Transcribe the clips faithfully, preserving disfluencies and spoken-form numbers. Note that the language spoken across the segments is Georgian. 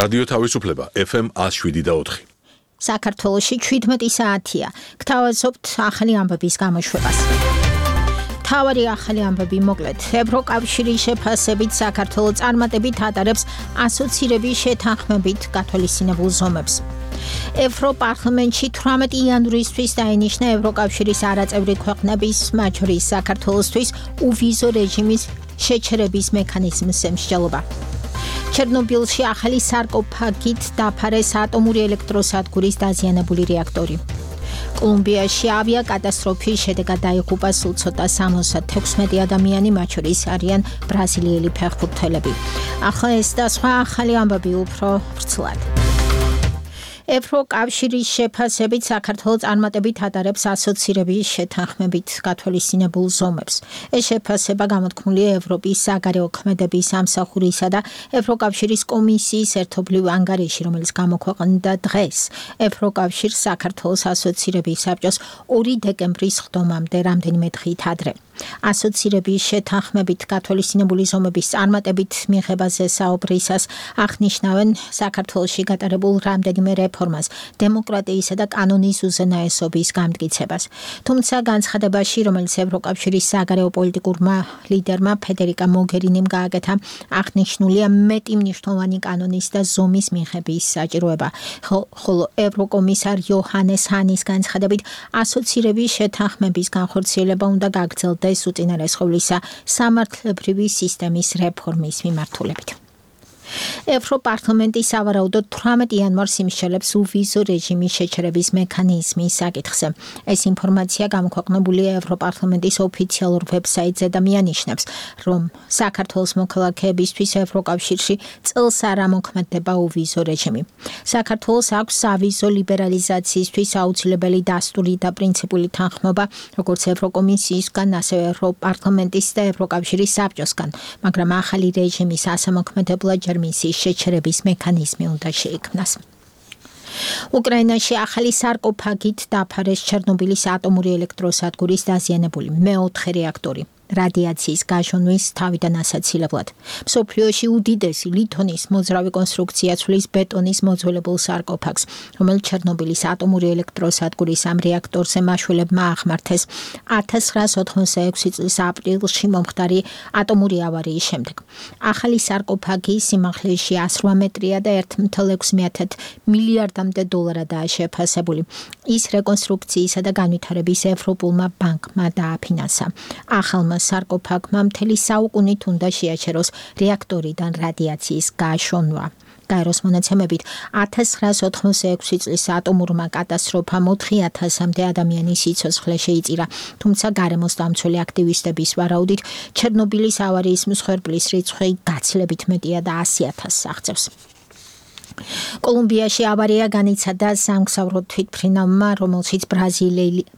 რადიო თავისუფლება ეფ ემ one oh seven და four. საქართველოში შვიდმეტი საათია. გთავაზობთ ახალი ამბების გამოშვებას. თავარი ახალი ამბები მოკლედ. ევროკავშირის შეფასებით საქართველო წარმატებით ატარებს ასოცირების შეთანხმებით გათვალისწინებულ ზომებს. ევროპარლამენტში eighteen იანვრისთვის დაინიშნა ევროკავშირის არაწევრი ქვეყნების, მათ შორის საქართველოსთვის უვიზო რეჟიმის შეჩერების მექანიზმის შემსჭელობა. ჩერნობილში ახალი სარკოფაგით დაფარეს ატომური ელექტროსადგურის დაზიანებული რეაქტორი. კოლუმბიაში ავიაკატასტროფის შედეგად დაიღუპა სულ ცოტა sixty-six ადამიანი, მათ შორის არიან ბრაზილიელი ფეხბურთელები. ახლა ეს და სხვა ახალი ამბები უფრო ვრცლად. ევროკავშირის შეფასებით საქართველო წარმატებით ატარებს ასოცირების შეთანხმებით გათვალისწინებულ ზომებს. ეს შეფასება გამოთქმულია ევროპის საგარეო ქმედების სამსახურისა და ევროკავშირის კომისიის ერთობლივ ანგარიში, რომელიც გამოქვეყნდა დღეს. ევროკავშირს საქართველოს ასოცირების საბჭოს ორი დეკემბრის ხდომამდე რამდენიმე დღით ადრე. ასოცირების შეთანხმებით გათვალისწინებული ზომების წარმატებით მიღებაზე საუბრისას აღნიშნავენ საქართველოში გატარებულ რამდენიმე რეფორმას, დემოკრატიისა და კანონის უზენაესობის გამტკიცებას. თუმცა განცხადებაში, რომელიც ევროკავშირის საგარეო პოლიტიკურმა ლიდერმა ფედერიკა მოგერინიმ გააკეთა, აღნიშნულია მეტი მნიშვნელოვანი კანონის და ზომის მიღების საჭიროება, ხოლო ევროკომისარ იოჰანეს ჰანის განცხადებით, ასოცირების შეთანხმების განხორციელება უნდა გაგრძელდეს უწინარესხოვლისა სამართლებრივი სისტემის რეფორმის მიმართულებით. ევროპარლამენტი სავარაუდოდ eighteen იანვარს იმსჯელებს უვიზო რეჟიმის შეჩერების მექანიზმის საკითხზე. ეს ინფორმაცია გამოქვეყნებულია ევროპარლამენტის ოფიციალურ ვებსაიტზე და მიანიშნებს, რომ საქართველოს მოქალაქეებისთვის ევროკავშირში წელს არ ამოქმედდება უვიზო რეჟიმი. საქართველოს აქვს სავიზო ლიბერალიზაციისთვის აუცილებელი დასტური და პრინციპული თანხმობა, როგორც ევროკომისიისგან, ასევე ევროპარლამენტის და ევროკავშირის საბჭოსგან, მაგრამ ახალი რეჟიმის ასამოქმედებლად ჯერ მისის შეჩერების მექანიზმი უნდა შეიქმნას. უკრაინაში ახალი სარკოფაგით დაფარეს ჩერნობილის ატომური ელექტროსადგურის დაზიანებული მეოთხე რეაქტორი. რადიაციის გაჟონვის თავიდან ასაცილებლად. მსოფლიოში უდიდესი ლითონის მოძრავი კონსტრუქცია ცვლის ბეტონის მოძველებულ სარკოფაგს, რომელიც ჩერნობილის ატომური ელექტროსადგურის ამ რეაქტორზე მაშველებმა აღმართეს nineteen ninety-six წლის აპრილში მომხდარი ატომური ავარიის შემდეგ. ახალი სარკოფაგი სიმაღლეში one hundred eight მეტრია და one point six მილიარდამდე დოლარადაა შეფასებული. ის რეკონსტრუქციისა და განვითარების ევროპულმა ბანკმა დააფინანსა. ახალმა სარკოფაგმა მთელი საუკუნით უნდა შეაჩეროს რეაქტორიდან რადიაციის გაშონვა. გაეროს მონაცემებით nineteen ninety-six წლის ატომურმა კატასტროფამ four thousand-მდე ადამიანის სიცოცხლე შეიწირა, თუმცა გარემოს დამცველი აქტივისტების ვარაუდით ჩერნობილის ავარიის მსხვერპლის რიცხვი გაცილებით მეტია და one hundred thousand აღწევს. კოლუმბიაში ავარია განიცადა სამგზავრო თვითმფრინავმა, რომელშიც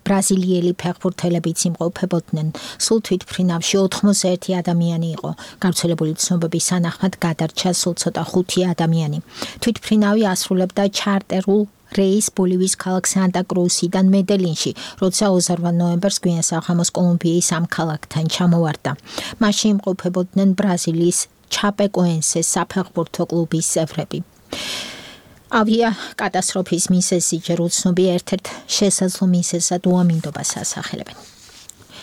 ბრაზილიელი ფეხბურთელებიც იმყოფებოდნენ. სულ თვითმფრინავში ninety-one ადამიანი იყო. გავრცელებული ცნობების თანახმად გადარჩა სულ ცოტა five ადამიანი. თვითმფრინავი ასრულებდა ჩარტერულ რეის ბოლივიის ქალაქ სანტა-კრუსიდან მედელინში, როცა twenty-one ნოემბერს გვიან საღამოს კოლუმბიის ამ ქალაქთან ჩამოვარდა. მასში იმყოფებოდნენ ბრაზილიის ჩაპეკოენსეს საფეხბურთო კლუბის წევრები. ავია კატასტროფის მიზეზი ჯერ უცნობია, ერთ-ერთ შესაძლო მიზეზად უამინდობას ასახელებენ.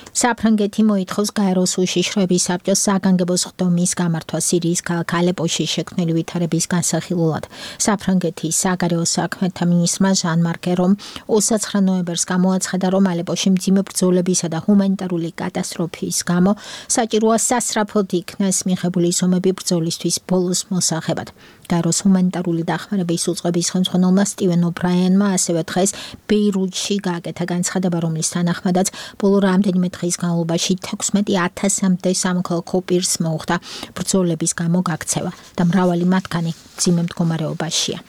საფრანგეთი მოითხოვს გაეროს უშიშროების საბჭოს საგანგებო ხდომის გამართვა სირიის ქალაქ ალეპოში შექმნილი ვითარების განსახილველად. საფრანგეთის საგარეო საქმეთა მინისტრმა ჟან-მარკ ერომ twenty-nine ნოემბერს გამოაცხადა, რომ ალეპოში მძიმე ბრძოლებისა და ჰუმანიტარული კატასტროფის გამო საჭიროა სასწრაფოდ იქნას მიღებული ზომები ბრძოლისთვის ბოლოს მოსაღებად. გაეროს ჰუმანიტარული დახმარების უწყების ხელმძღვანელმა სტივენ ობრაიანმა ასევე დღეს ბეირუთში გააკეთა განცხადება, რომლის თანახმადაც ბოლო რამდენიმე დღის განმავლობაში sixteen thousand-მდე სამოქალაქო პირს მოუხდა ბრძოლების გამო გაქცევა და მრავალი მათგანი მძიმე მდგომარეობაშია.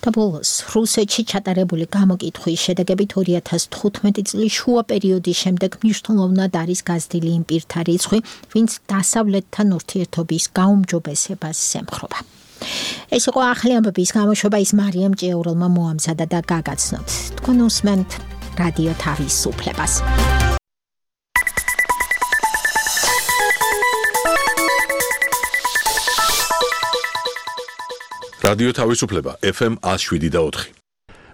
და ბოლოს რუსეთში ჩატარებული გამოკითხვის შედეგებით two thousand fifteen წლის შუა პერიოდის შემდეგ მნიშვნელოვნად არის გაზრდილი იმ პირთა რიცხვი, ვინც დასავლეთთან ურთიერთობის გაუმჯობესებას ემხრობა. ეს იყო ახალი ამბების გამოშვება, ის მარიამ ჭიაურელმა მოამზადა და გაგაცნოთ. თქვენ უსმენთ რადიო თავისუფლებას. რადიო თავისუფლება ეფ ემ one oh seven point four.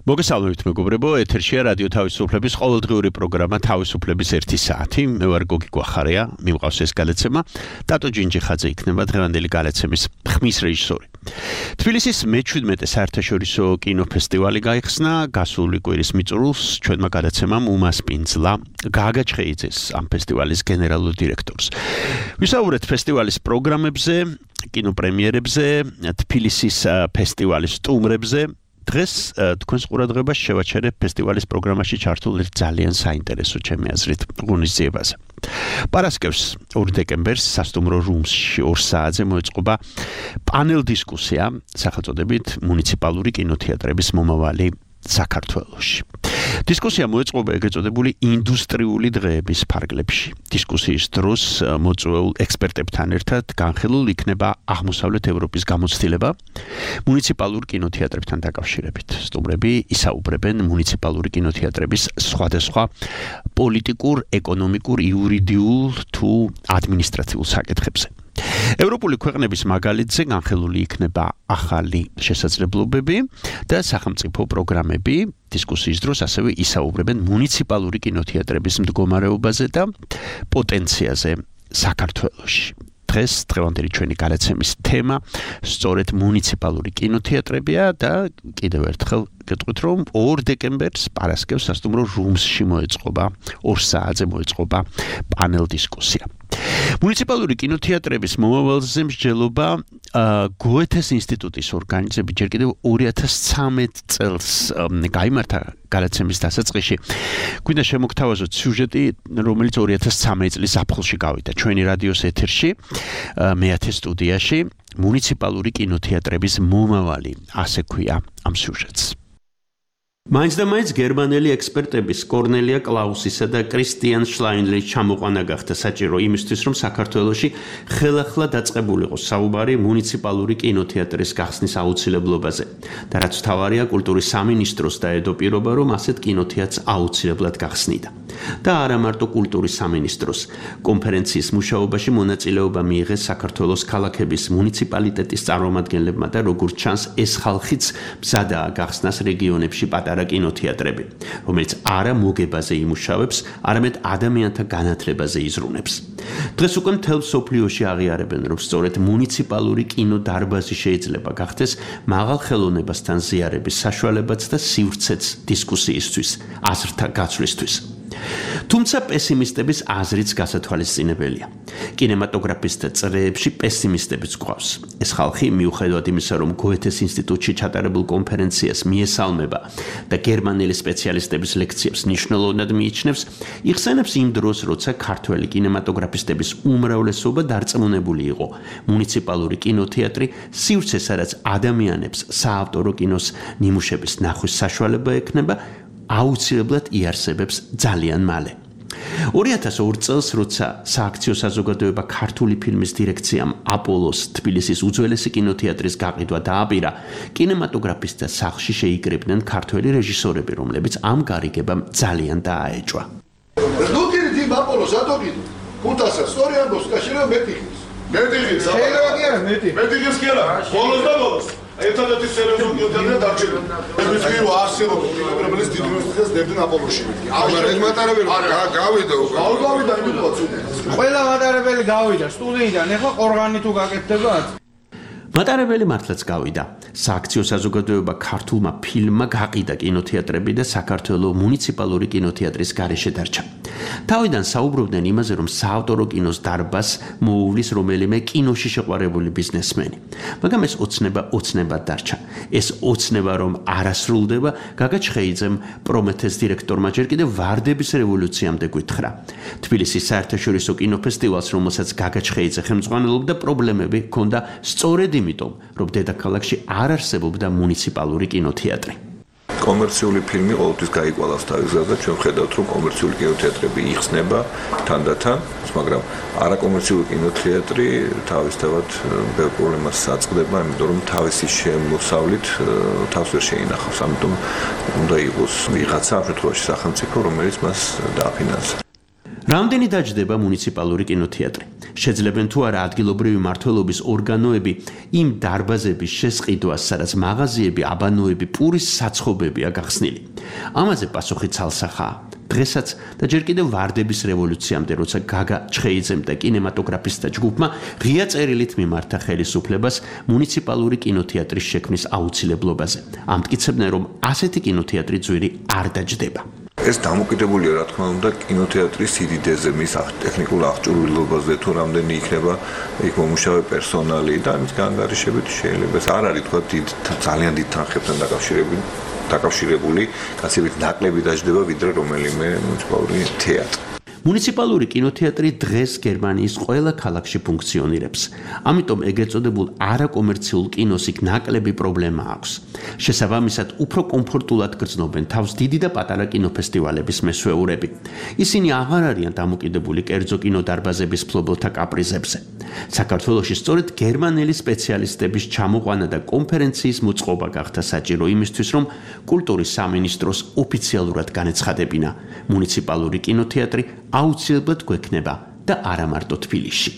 მოგესალმებით მეგობრებო, ეთერშია რადიო თავისუფლების ყოველდღიური პროგრამა თავისუფლების ერთი საათი. მე ვარ გოგი გვახარია, მიმყავს ეს გადაცემა. დატო ჯინჯიხაძე იქნება დღევანდელი გადაცემის ხმის რეჟისორი. თბილისის მეჩვიდმეტე საერთაშორისო კინოფესტივალი გაიხსნა, გასული კვირის მიწურულს ჩვენმა გადაცემამ უმასპინძლა გააგაჩხეიძეს ამ ფესტივალის გენერალურ დირექტორს. ვისაუბრეთ ფესტივალის პროგრამებზე, კინოპრემიერებზე, თბილისის ფესტივალის სტუმრებზე. დღეს თქვენს ყურადღებას შევაჩერებ ფესტივალის პროგრამაში ჩართულ ძალიან საინტერესო ჩემი აზრით ღონისძიებაზე. პარასკევს ორი დეკემბერს სასტუმრო რუმსში ორ საათზე მოეწყობა პანელ დისკუსია სახელწოდებით მუნიციპალური კინოთეატრების მომავალი საქართველოში. დისკუსია მოეწყობა ეგრეთ წოდებული ინდუსტრიული დღეების ფარგლებში. დისკუსიის დროს მოწვეულ ექსპერტებთან ერთად განხილულ იქნება აღმოსავლეთ ევროპის გამოცდილება მუნიციპალურ კინოთეატრებთან დაკავშირებით. სტუმრები ისაუბრებენ მუნიციპალური კინოთეატრების სხვადასხვა პოლიტიკურ, ეკონომიკურ, იურიდიულ თუ ადმინისტრაციულ საკითხებზე. ევროპული ქვეყნების მაგალითზე განხილული იქნება ახალი შესაძლებლობები და სახელმწიფო პროგრამები. დისკუსიის დროს ასევე ისაუბრებენ მუნიციპალური კინოთეატრების მდგომარეობაზე და პოტენციაზე საქართველოში. დღეს დღევანდელი ჩვენი გადაცემის თემა სწორედ მუნიციპალური კინოთეატრებია და კიდევ ერთხელ გეტყვით, რომ ორ დეკემბერს პარასკევს სასტუმრო რუმსში მოეწყობა ორ საათზე მოეწყობა პანელ დისკუსია. მუნიციპალური კინოთეატრების მომავალზე მსჯელობა გოეთეს ინსტიტუტის ორგანიზებით ჯერ კიდევ ორი ათას ცხრამეტ წელს გაიმართა გადაცემის დასაწყისში. გვინდა შემოგთავაზოთ სიუჟეტი, რომელიც ორი ათას ცხრამეტ წლის ზაფხულში გავიდა ჩვენი რადიოს ეთერში, მეათე სტუდიაში, მუნიციპალური კინოთეატრების მომავალი, ასე ქვია ამ სიუჟეტს. მაინც და მაინც გერმანელი ექსპერტების კორნელია კლაუსისა და კრისტიან შლაინლის ჩამოყვანა გახდა საჭირო იმისთვის, რომ საქართველოში ხელახლა დაწყებულიყო საუბარი მუნიციპალური კინოთეატრის გახსნის აუცილებლობაზე. და რაც თავარია, კულტურის სამინისტროს დაედო პირობა, რომ ასეთ კინოთეატრს აუცილებლად გახსნიდა. და არა მარტო კულტურის სამინისტროს. კონფერენციის მუშაობაში მონაწილეობა მიიღეს საქართველოს ქალაქების მუნიციპალიტეტის წარმომადგენლებმა და როგორც ჩანს, ეს ხალხიც მზადაა გახსნას რეგიონებში პატარა კინოთეატრები, რომელიც არა მოგებაზე იმუშავებს, არამედ ადამიანთა განათლებაზე იზრუნებს. დღეს უკვე მთელ მსოფლიოში აღიარებენ, რომ სწორედ მუნიციპალური კინოდარბაზი შეიძლება გახდეს მაღალ ხელოვნებასთან ზიარების საშუალებაც და სივრცეც დისკუსიისთვის, აზრთა გაცვლისთვის. თუმცა პესიმისტების აზრიც გასათვალისწინებელია. კინემატოგრაფისტთა წრეებში პესიმისტებიც გვყავს. ეს ხალხი მიუხედავად იმისა, რომ გოეთეს ინსტიტუტში ჩატარებულ კონფერენციას მიესალმება და გერმანელი სპეციალისტების ლექციებს მნიშვნელოვნად მიიჩნევს, იხსენებს იმ დროს, როცა ქართველი კინემატოგრაფისტების უმრავლესობა დარწმუნებული იყო, მუნიციპალური კინოთეატრი სივრცეს, სადაც ადამიანებს საავტორო კინოს ნიმუშების ნახვის საშუალება ექნება, აუცილებლად იარსებებს ძალიან მალე. ორი ათას ორ წელს, როცა სააქციო საზოგადოება ქართული ფილმის დირექციამ აპოლოს თბილისის უძველესი კინოთეატრის გაყიდვა დააპირა, კინემატოგრაფისტთა სახლში შეიკრიბნენ ქართველი რეჟისორები, რომლებიც ამ გარიგებამ ძალიან დააეჭვა. ნუქირი თიმ აპოლოს ატოგიდო. ხუთასა სწორი ამბობს, კაშირო მეტიხის. მეტიხის. შეიძლება კი არა მეტი. მეტიხის კი არა. ბოლოს და ბოლოს. ერთადერთი სერიოზული კინოთეატრი დარჩება. ეს კი არსებობს კინოპრემიერის დიდი უნივერსიტეტის დებდნენ აპოლოში. აღარ ეს მატარებელი გავიდა უკვე. აუ გავიდა იმითაც უკვე. ყველა მატარებელი გავიდა სტუდიიდან, ეხლა ყორღანი თუ გაკეთდებათ? მატარებელი მართლაც გავიდა. სააქციო საზოგადოება ქართულმა ფილმმა გაყიდა კინოთეატრები და საქართველოს მუნიციპალური კინოთეატრის გარეშე დარჩა. თავიდან საუბრობდნენ იმაზე, რომ საავტორო კინოს დარბაზს მოუვლის რომელიმე კინოში შეყვარებული ბიზნესმენი. მაგრამ ეს ოცნება ოცნებად დარჩა. ეს ოცნება რომ არ ასრულდება, გაგაჩხეიძემ პრომეთეს დირექტორმა ჯერ კიდევ ვარდების რევოლუციამდე გვითხრა. თბილისის საერთაშორისო კინოფესტივალს, რომელსაც გაგაჩხეიძე ხელმძღვანელობდა, პრობლემები ჰქონდა სწორედ იმიტომ, რომ დედაქალაქში არ არსებობდა მუნიციპალური კინოთეატრი. კომერციული ფილმი ყოველთვის გაიყვალავს თავის გზაზე, ჩვენ ვხედავთ, რომ კომერციული კინოთეატრები იხსნება თანდათან, მაგრამ არაკომერციული კინოთეატრი თავისთავად ბევრ პრობლემას აწყდება, იმიტომ რომ თავისი შემოსავლით თავს ვერ შეინახავს, ამიტომ უნდა იყოს ვიღაცა, ამ შემთხვევაში სახელმწიფო, რომელიც მას დააფინანსებს. რამდენი დაჯდება მუნიციპალური კინოთეატრი? შეძლებენ თუ არა ადგილობრივი მმართველობის ორგანოები იმ დარბაზების შესყიდვას, სადაც მაღაზიები, აბანოები, პურის საცხობებია გახსნილი. ამაზე პასუხი ცალსახაა. დღესაც და ჯერ კიდევ ვარდების რევოლუციამდე, როცა გაგა ჩხეიძემ და კინემატოგრაფისტთა ჯგუფმა ღია წერილით მიმართა ხელისუფლებას მუნიციპალური კინოთეატრის შექმნის აუცილებლობაზე. ამტკიცებდნენ, რომ ასეთი კინოთეატრი ძვირი არ დაჯდება. ეს დამოკიდებულია, რა თქმა უნდა, კინოთეატრის სიდიდეზე, მის ტექნიკურ აღჭურვილობაზე, თუ რამდენი იქნება იქ მომუშავე პერსონალი და ამის განგარიშებით შეიძლება ეს არ არის თქვა დიდ ძალიან დიდ თანხებთან დაკავშირებული დაკავშირებული, გასებით ნაკლები დაждდება ვიდრე რომელიმე მუნიციპალური თეატრი. მუნიციპალური კინოთეატრი დღეს გერმანიის ყველა ქალაქში ფუნქციონირებს. ამიტომ ეგრეთ წოდებულ არაკომერციულ კინოს იქ ნაკლები პრობლემა აქვს. შესაბამისად, უფრო კომფორტულად გრძნობენ თავს დიდი და პატარა კინოფესტივალების მესვეურები. ისინი აღარ არიან დამოკიდებული კერძო კინოდარბაზების ფლობელთა კაპრიზებზე. საქართველოში სწორედ გერმანელი სპეციალისტების ჩამოყვანა და კონფერენციის მოწყობა გახდა საჭირო იმისთვის, რომ კულტურის სამინისტროს ოფიციალურად განეცხადებინა მუნიციპალური კინოთეატრი აუცილებლად გვექნება და არა მარტო თბილისში.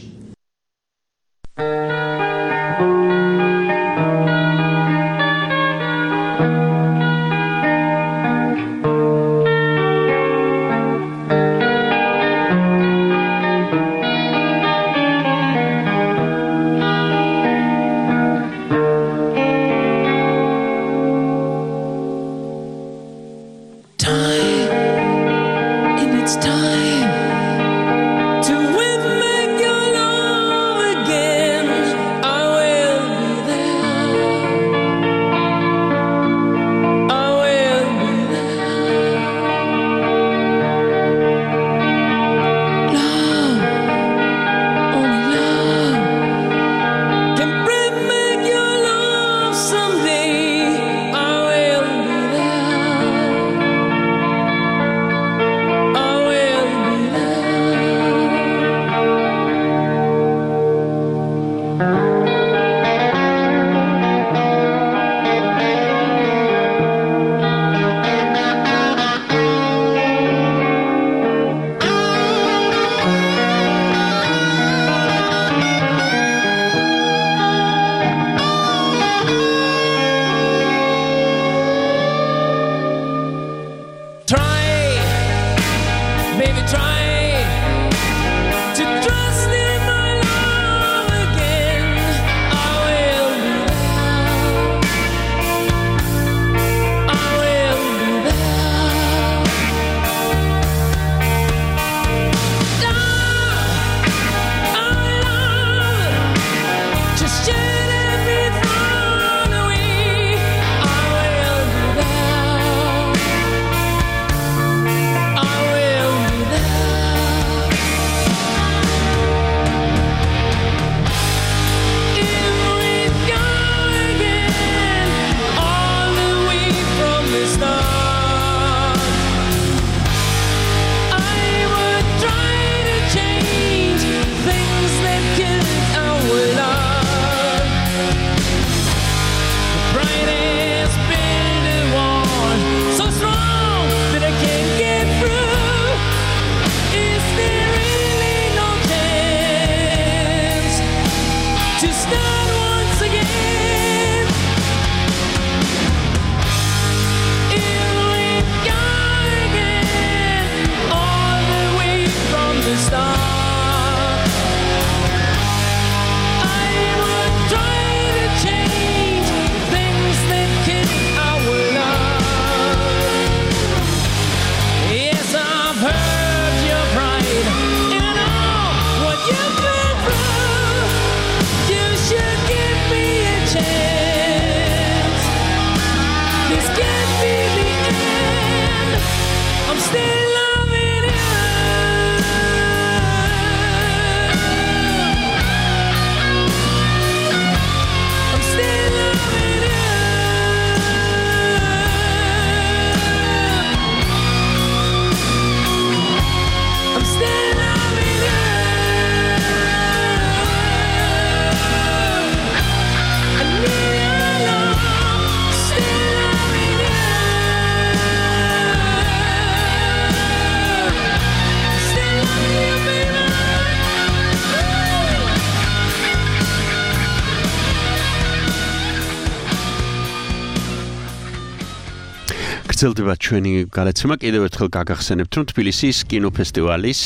გრძელდება ჩვენი გადაცემა კიდევ ერთხელ გაგახსენებთ რომ თბილისის კინოფესტივალის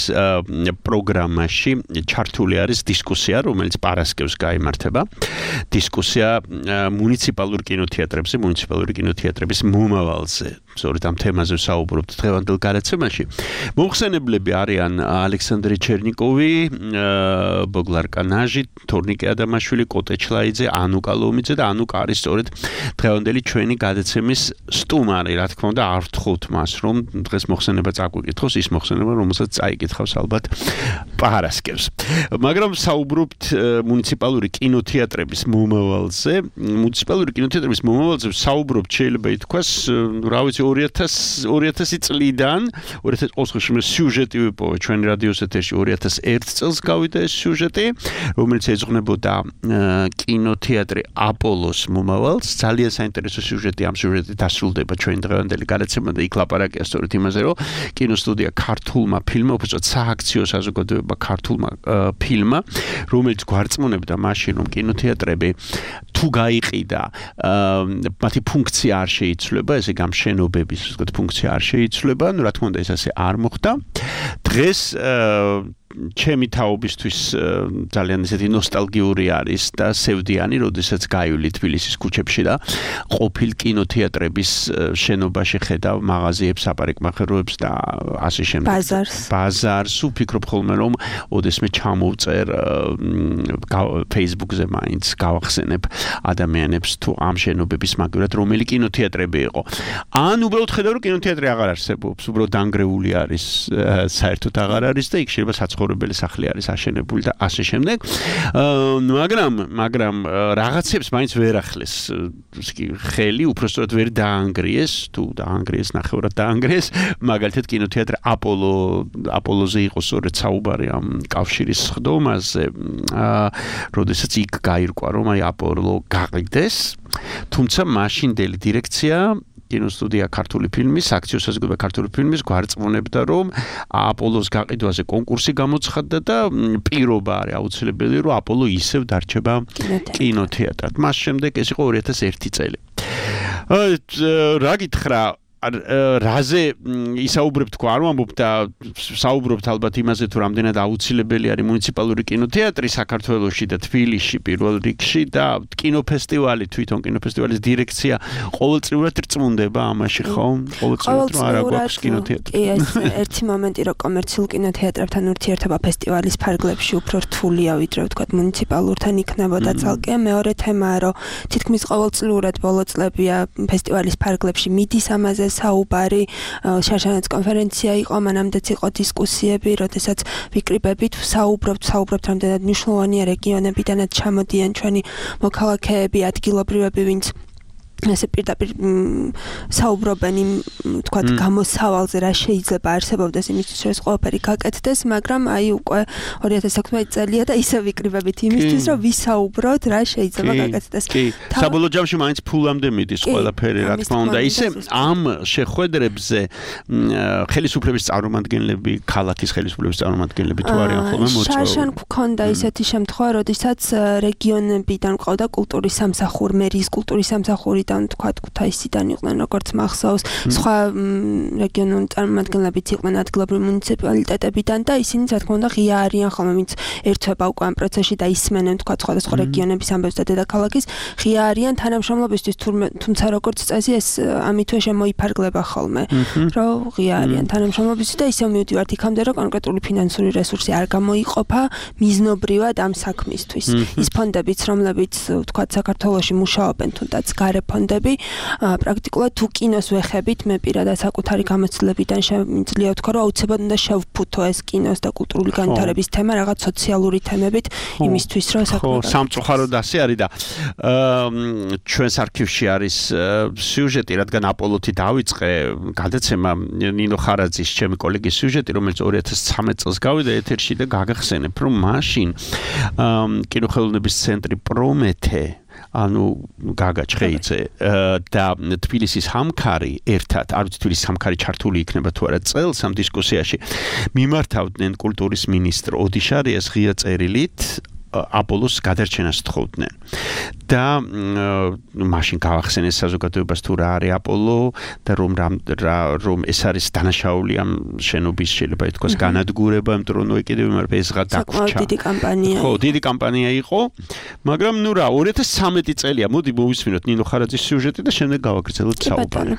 პროგრამაში ჩართული არის დისკუსია რომელიც პარასკევს გაიმართება დისკუსია მუნიციპალურ კინოთეატრებზე მუნიციპალური კინოთეატრების მომავალზე სწორედ ამ თემაზე ვსაუბრობთ დღევანდელ გადაცემაში მოხსენებლები არიან ალექსანდრე ჩერნიკოვი ბოგლარ კანაჟი თორნიკე ადამაშვილი კოტე ჩლაიძე ანუკა ლომიძე და ანუკა არის სწორედ დღევანდელი ჩვენი გადაცემის სტუმარი რა თქმა უნდა არ ვთხოვთ მას რომ დღეს მოხსენება წაგვიკითხოს ის მოხსენება რომელსაც წაიკითხავს ალბათ პარასკევს მაგრამ საუბრობთ მუნიციპალური კინოთეატრების მომავალზე მუნიციპალური კინოთეატრების მომავალზე საუბრობთ შეიძლება ითქვას რა ვიცი ორი ათასი წლიდან ორი ათას ოცდაოთხ სიუჟეტი ვიპოვა ჩვენი რადიოს ეთერში ორი ათას ერთ წელს გავიდა ეს სიუჟეტი რომელიც ეძღვნებოდა კინოთეატრი აპოლოს მომავალს ძალიან საინტერესო სიუჟეტი ამ სიუჟეტით დასრულდება ჩვენი დღევანდელი გადაცემა და იქ ლაპარაკია სწორედ იმაზე რომ კინოსტუდია ქართულმა ფილმმა უბრალოდ სააქციო საზოგადოება ქართულმა ფილმმა რომელიც გვარწმუნებდა მაშინ რომ კინოთეატრები თუ გაიყიდა მათი ფუნქცია არ შეიცვლება ესე გამშენობების ასე ვთქვათ ფუნქცია არ შეიცვლება ну რა თქმა უნდა ეს ასე არ მოხდა დღეს ჩემი თაობისთვის ძალიან ისეთი ნოსტალგიური არის და სევდიანი, როდესაც გაივლი თბილისის ქუჩებში და ყოფილ კინოთეატრების შენობაში ხედავ მაღაზიებს, აპარიკმახეროებს და ასე შემდეგ. ბაზარს. ბაზარს ვფიქრობ ხოლმე რომ ოდესმე ჩამოვწერ Facebook-ზე მაინც გავახსენებ ადამიანებს თუ ამ შენობების მაგივრად რომელი კინოთეატრები იყო. ან უბრალოდ ხედავ რომ კინოთეატრი აღარ არსებობს, უბრალოდ დანგრეული არის, საერთოდ აღარ არის და იქ შეიძლება საცხოვრებელი სახლი არის აშენებული და ასე შემდეგ. მაგრამ მაგრამ რაღაცებს მაინც ვერ ახლეს ხელი, უბრალოდ ვერ დაანგრიეს, თუ დაანგრიეს, ნახევრად დაანგრიეს, მაგალითად კინოთეატრი აპოლო აპოლოზე იყო სწორედ საუბარი ამ კავშირის სხდომაზე, როდესაც იქ გაირკვა რომ აი აპოლო გაყიდეს, თუმცა მაშინდელი დირექცია კინოსტუდია ქართული ფილმის, აქციო საზოგადოება ქართული ფილმის გვარწმუნებდა რომ აპოლოს გაყიდვაზე კონკურსი გამოცხადდა და პირობა არის აუცილებელი რომ აპოლო ისევ დარჩება კინოთეატრად. მას შემდეგ ეს იყო ორი ათას ერთი წელი. რა გითხრა რაზე ისაუბრებთ თქო არ ვამბობ და საუბრობთ ალბათ იმაზე თუ რამდენად აუცილებელი არის მუნიციპალური კინოთეატრი საქართველოში და თბილისში პირველ რიგში და კინოფესტივალი თვითონ კინოფესტივალის დირექცია ყოველწლიურად რწმუნდება ამაში ხო? ყოველწლიურად არ აქვს კინოთეატრი. კი ეს ერთი მომენტი რომ კომერციულ კინოთეატრებთან ურთიერთობა ფესტივალის ფარგლებში უფრო რთულია ვიდრე ვთქვათ მუნიციპალურთან იქნებოდა ცალკე. მეორე თემაა რომ თითქმის ყოველწლიურად ბოლო წლებია ფესტივალის ფარგლებში მიდის ამაზე საუბარი, შარშანაც კონფერენცია იყო, მანამდეც იყო დისკუსიები, როდესაც ვიკრიბებით, საუბრობთ, საუბრობთ რამდენად მნიშვნელოვანია რეგიონებიდანაც ჩამოდიან ჩვენი მოქალაქეები, ადგილობრივები, ვინც ესე პირდაპირ საუბრობენ იმ თქვათ გამოსავალზე რა შეიძლება არსებობდეს იმისთვის რომ ეს ყველაფერი გაკეთდეს, მაგრამ აი უკვე ორი ათას ექვსმეტი წელია და ისე ვიკრიბებით იმისთვის რომ ვისაუბროთ რა შეიძლება გაკეთდეს. კი, საბოლოო ჯამში მაინც ფულამდე მიდის ყველაფერი, რა თქმა უნდა. ისე ამ შეხვედრებზე ხელისუფლების წარმომადგენლები, ქალაქის ხელისუფლების წარმომადგენლები თუ არიან ხოლმე მოწვეული. შარშან გქონდა ისეთი შემთხვევა, როდესაც რეგიონებიდან ყავდა კულტურის სამსახური, მერის კულტურის სამსახური თქვათ ქუთაისიდან იყვნენ როგორც მახსოვს, სხვა რეგიონული წარმომადგენლებიც იყვნენ ადგილობრივი მუნიციპალიტეტებიდან და ისინი რა თქმა უნდა ღია არიან ხოლმე, ვინც ერთვება უკვე ამ პროცესში და ისმენენ თქვათ სხვადასხვა რეგიონების ამბებს და დედაქალაქის, ღია არიან თანამშრომლობისთვის, თუმცა როგორც წესი ეს ამითვე შემოიფარგლება ხოლმე, რომ ღია არიან თანამშრომლობისთვის და ისევ მივდივართ იქამდე, რომ კონკრეტული ფინანსური რესურსი არ გამოიყოფა მიზნობრივად ამ საქმისთვის. ის ფონდებიც, რომლებიც თქვათ საქართველოში მუშაობენ თუნდაც გარე ფონდები, პრაქტიკულად თუ კინოს ვეხებით, მე პირადად საკუთარი გამოცდილებიდან შემიძლია ვთქვა, რომ აუცილებლად უნდა შევფუთო ეს კინოს და კულტურული განვითარების თემა რაღაც სოციალური თემებით, იმისთვის რომ ხო, სამწუხაროდ ასე არის და ჩვენს არქივში არის სიუჟეტი, რადგან აპოლოთი დავიწყე გადაცემა ნინო ხარაძის ჩემი კოლეგის სიუჟეტი, რომელიც ორი ათას ცხრამეტ წელს გავიდა ეთერში და გაგახსენებ, რომ მაშინ კინოხელოვნების ცენტრი პრომეთე ანუ გაგა ჩხეიძე და თბილისის ჰამქარი ერთად, არ ვიცი თბილისის ჰამქარი ჩართული იქნება თუ არა წელს ამ დისკუსიაში მიმართავდნენ კულტურის მინისტრ ოდიშარიას ღია წერილით აპოლოს გადარჩენას თხოვდნენ. და მაშინ გავახსენეს საზოგადოებას თუ რა არის აპოლო და რომ რომ ეს არის დანაშაული ამ შენობის შეიძლება ითქვას განადგურება, იმიტომ რომ კიდევ იმარ ფესღა დაგვრჩა. დიდი კამპანია. ხო, დიდი კამპანია იყო, მაგრამ ნუ რა, ორი ათას ცხრამეტი წელია, მოდი მოვისმინოთ ნინო ხარაძის სიუჟეტი და შემდეგ გავაგრძელოთ საუბარი.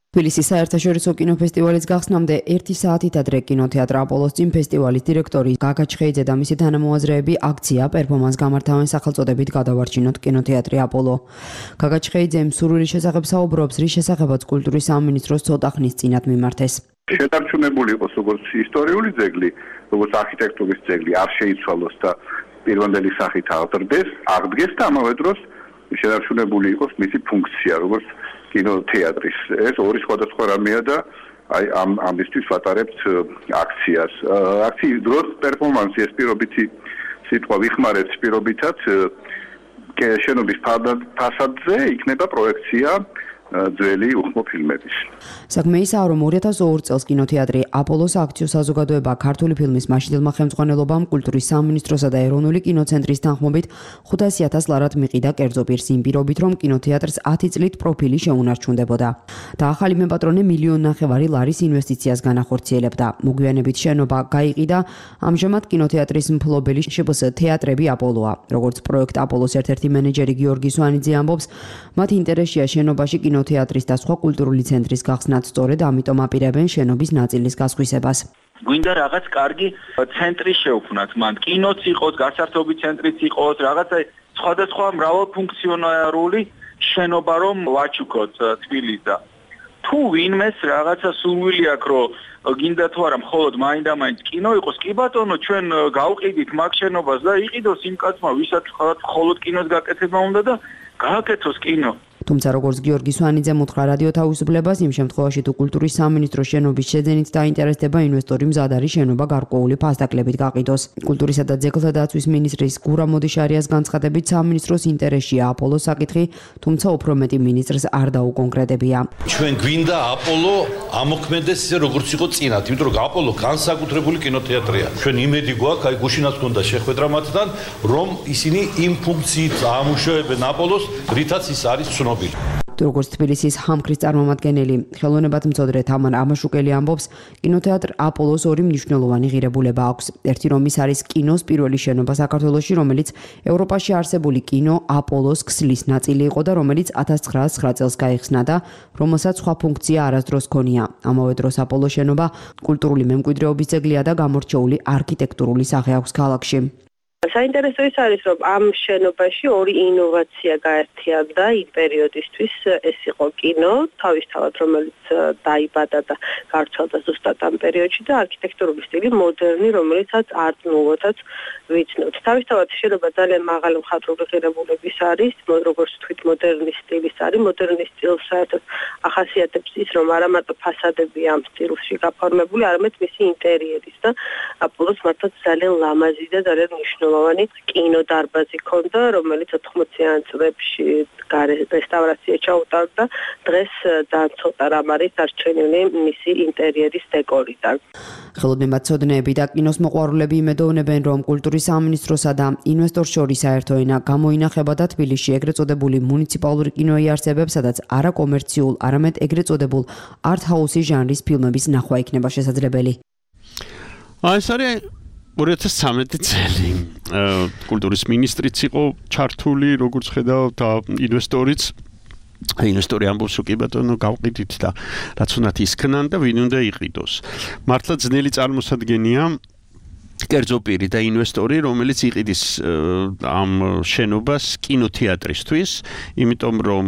თბილისის საერთაშორისო კინოფესტივალის გახსნამდე ერთი საათით ადრე კინოთეატრ აპოლოს წინ ფესტივალის დირექტორი გაგა ჩხეიძე და მისი თანამოაზრეები აქცია პერფორმანს გამართავენ სახელწოდებით გადავარჩინოთ კინოთეატრი აპოლო. გაგა ჩხეიძემ სურვილის შესახებ საუბრობს, რის შესახებაც კულტურის სამინისტროს ცოტა ხნის წინათ მიმართეს. შეტარჩუნებული იყოს როგორც ისტორიული ძეგლი, როგორც არქიტექტურის ძეგლი, არ შეიცვალოს და პირვანდელი სახით აღდგეს, აღდგეს და ამავე დროს შეტარჩუნებული იყოს მისი ფუნქცია, როგორც კინოთეატრის. ეს ორი სხვადასხვა რამეა და აი ამ ამისთვის ვატარებთ აქციას. აქციის დროს პერფორმანსი ეს პირობითი სიტყვა ვიხმარებთ პირობითად შენობის ფასადზე იქნება პროექცია ძველი უხმო ფილმების. საქმე ისაა, რომ ორი ათას ორ წელს კინოთეატრი აპოლოს აქციო საზოგადოება ქართული ფილმის მაშინდელმა ხელმძღვანელობამ კულტურის სამინისტროსა და ეროვნული კინოცენტრის თანხმობით ხუთასი ათას ლარად მიყიდა კერძო პირს იმ პირობით, რომ კინოთეატრს ათი წლით პროფილი შეუნარჩუნდებოდა. და ახალი მეპატრონე მილიონ ნახევარი ლარის ინვესტიციას განახორციელებდა. მოგვიანებით შენობა გაიყიდა, ამჟამად კინოთეატრის მფლობელი შპს თეატრები აპოლოა. როგორც პროექტ აპოლოს ერთ-ერთი მენეჯერი გიორგი სვანიძე ამბობს, მათ ინტერესია შენობაში კინოთეატრის და სხვა კულტურული ცენტრის გახსნათ, სწორედ ამიტომ აპირებენ შენობის ნაწილის გასხვისებას. გვინდა რაღაც კარგი ცენტრი შევქმნათ, მან კინოც იყოს, გასართობი ცენტრიც იყოს, რაღაცა სხვადასხვა მრავალფუნქციონალური შენობა რომ ვაჩუქოთ თბილისს. თუ ვინმეს რაღაცა სურვილი აქვს, რომ გინდა თუ არა მხოლოდ მაინდა-მაინც კინო იყოს, კი ბატონო, ჩვენ გავყიდით მაგ შენობას და იყიდოს იმ კაცმა, ვისაც მხოლოდ კინოს გაკეთება უნდა და გააკეთოს კინო. თუმცა როგორც გიორგი სვანიძემ უთხრა რადიო თავისუფლებას, იმ შემთხვევაში თუ კულტურის სამინისტროს შენობის შეძენით დაინტერესდება ინვესტორი, მზად არის შენობა გარკვეული ფასდაკლებით გაყიდოს. კულტურისა და ძეგლთა დაცვის მინისტრის გურა მოდიშარიას განცხადებით, სამინისტროს ინტერესია აპოლოს საკითხი, თუმცა უფრო მეტი მინისტრს არ დაუკონკრეტებია. ჩვენ გვინდა აპოლო ამოქმედეს ისე როგორც იყო წინათ, იმიტომ რომ აპოლო განსაკუთრებული კინოთეატრია. ჩვენ იმედი გვაქვს, აი გუშინაც გქონდა შეხვედრა მათთან, რომ ისინი იმ ფუნქციით ამუშავებენ აპოლოს, რითაც ის არის ცნობილი. როგორც თბილისის ჰამქრის წარმომადგენელი, ხელოვნებათმცოდნე თამარ ამაშუკელი ამბობს, კინოთეატრ აპოლოს ორი მნიშვნელოვანი ღირებულება აქვს. ერთი რომ ის არის კინოს პირველი შენობა საქართველოში, რომელიც ევროპაში არსებული კინო აპოლოს ქსლის ნაწილი იყო და რომელიც ათას ცხრაას ცხრა წელს გაიხსნა და რომელსაც სხვა ფუნქცია არასდროს ჰქონია. ამავე დროს აპოლოს შენობა კულტურული მემკვიდრეობის ძეგლია და გამორჩეული არქიტექტურული სახე აქვს ქალაქში. საინტერესო ის არის, რომ ამ შენობაში ორი ინოვაცია გაერთიანდა იმ პერიოდისთვის, ეს იყო კინო, თავისთავად რომელიც დაიბადა და გავრცელდა ზუსტად ამ პერიოდში და არქიტექტურული სტილი მოდერნი, რომელიცაც არტ-ნუვოთაც ვიცნობთ. თავისთავად შენობა ძალიან მაღალი მხატვრული ღირებულების არის, როგორც თქვით მოდერნის სტილის არის, მოდერნის სტილს საერთოდ ახასიათებს ის, რომ არა მარტო ფასადები ამ სტილში გაფორმებული, არამედ მისი ინტერიერის და აპოლოს მართლაც ძალიან ლამაზი და ძალიან მნიშვნელოვანი კინოდარბაზი ქონდა, რომელიც ოთხმოციან წლებში რესტავრაცია ჩაუტარდა. დღეს ძალიან ცოტა რამ არის დარჩენილი მისი ინტერიერის დეკორიდან. ხელოვნებათმცოდნეები და კინოს მოყვარულები იმედოვნებენ, რომ კულტურის სამინისტროსა და ინვესტორს შორის საერთო ენა გამოინახება და თბილისში ეგრეთ წოდებული მუნიციპალური კინო იარსებებს, სადაც არა კომერციულ, არამედ ეგრეთ წოდებულ არტ-ჰაუსის ჟანრის ფილმების ნახვა იქნება შესაძლებელი. აი, ეს არის ორი ათას ცხრამეტი წელი. კულტურის მინისტრიც იყო ჩართული, როგორც ხედავთ, და ინვესტორიც. ინვესტორი ამბობს, კი ბატონო, გავყიდით და რაც უნდათ ისქნან და ვინ უნდა იყიდოს. მართლა ძნელი წარმოსადგენია კერძო პირი და ინვესტორი, რომელიც იყიდის ამ შენობას კინოთეატრისთვის, იმიტომ რომ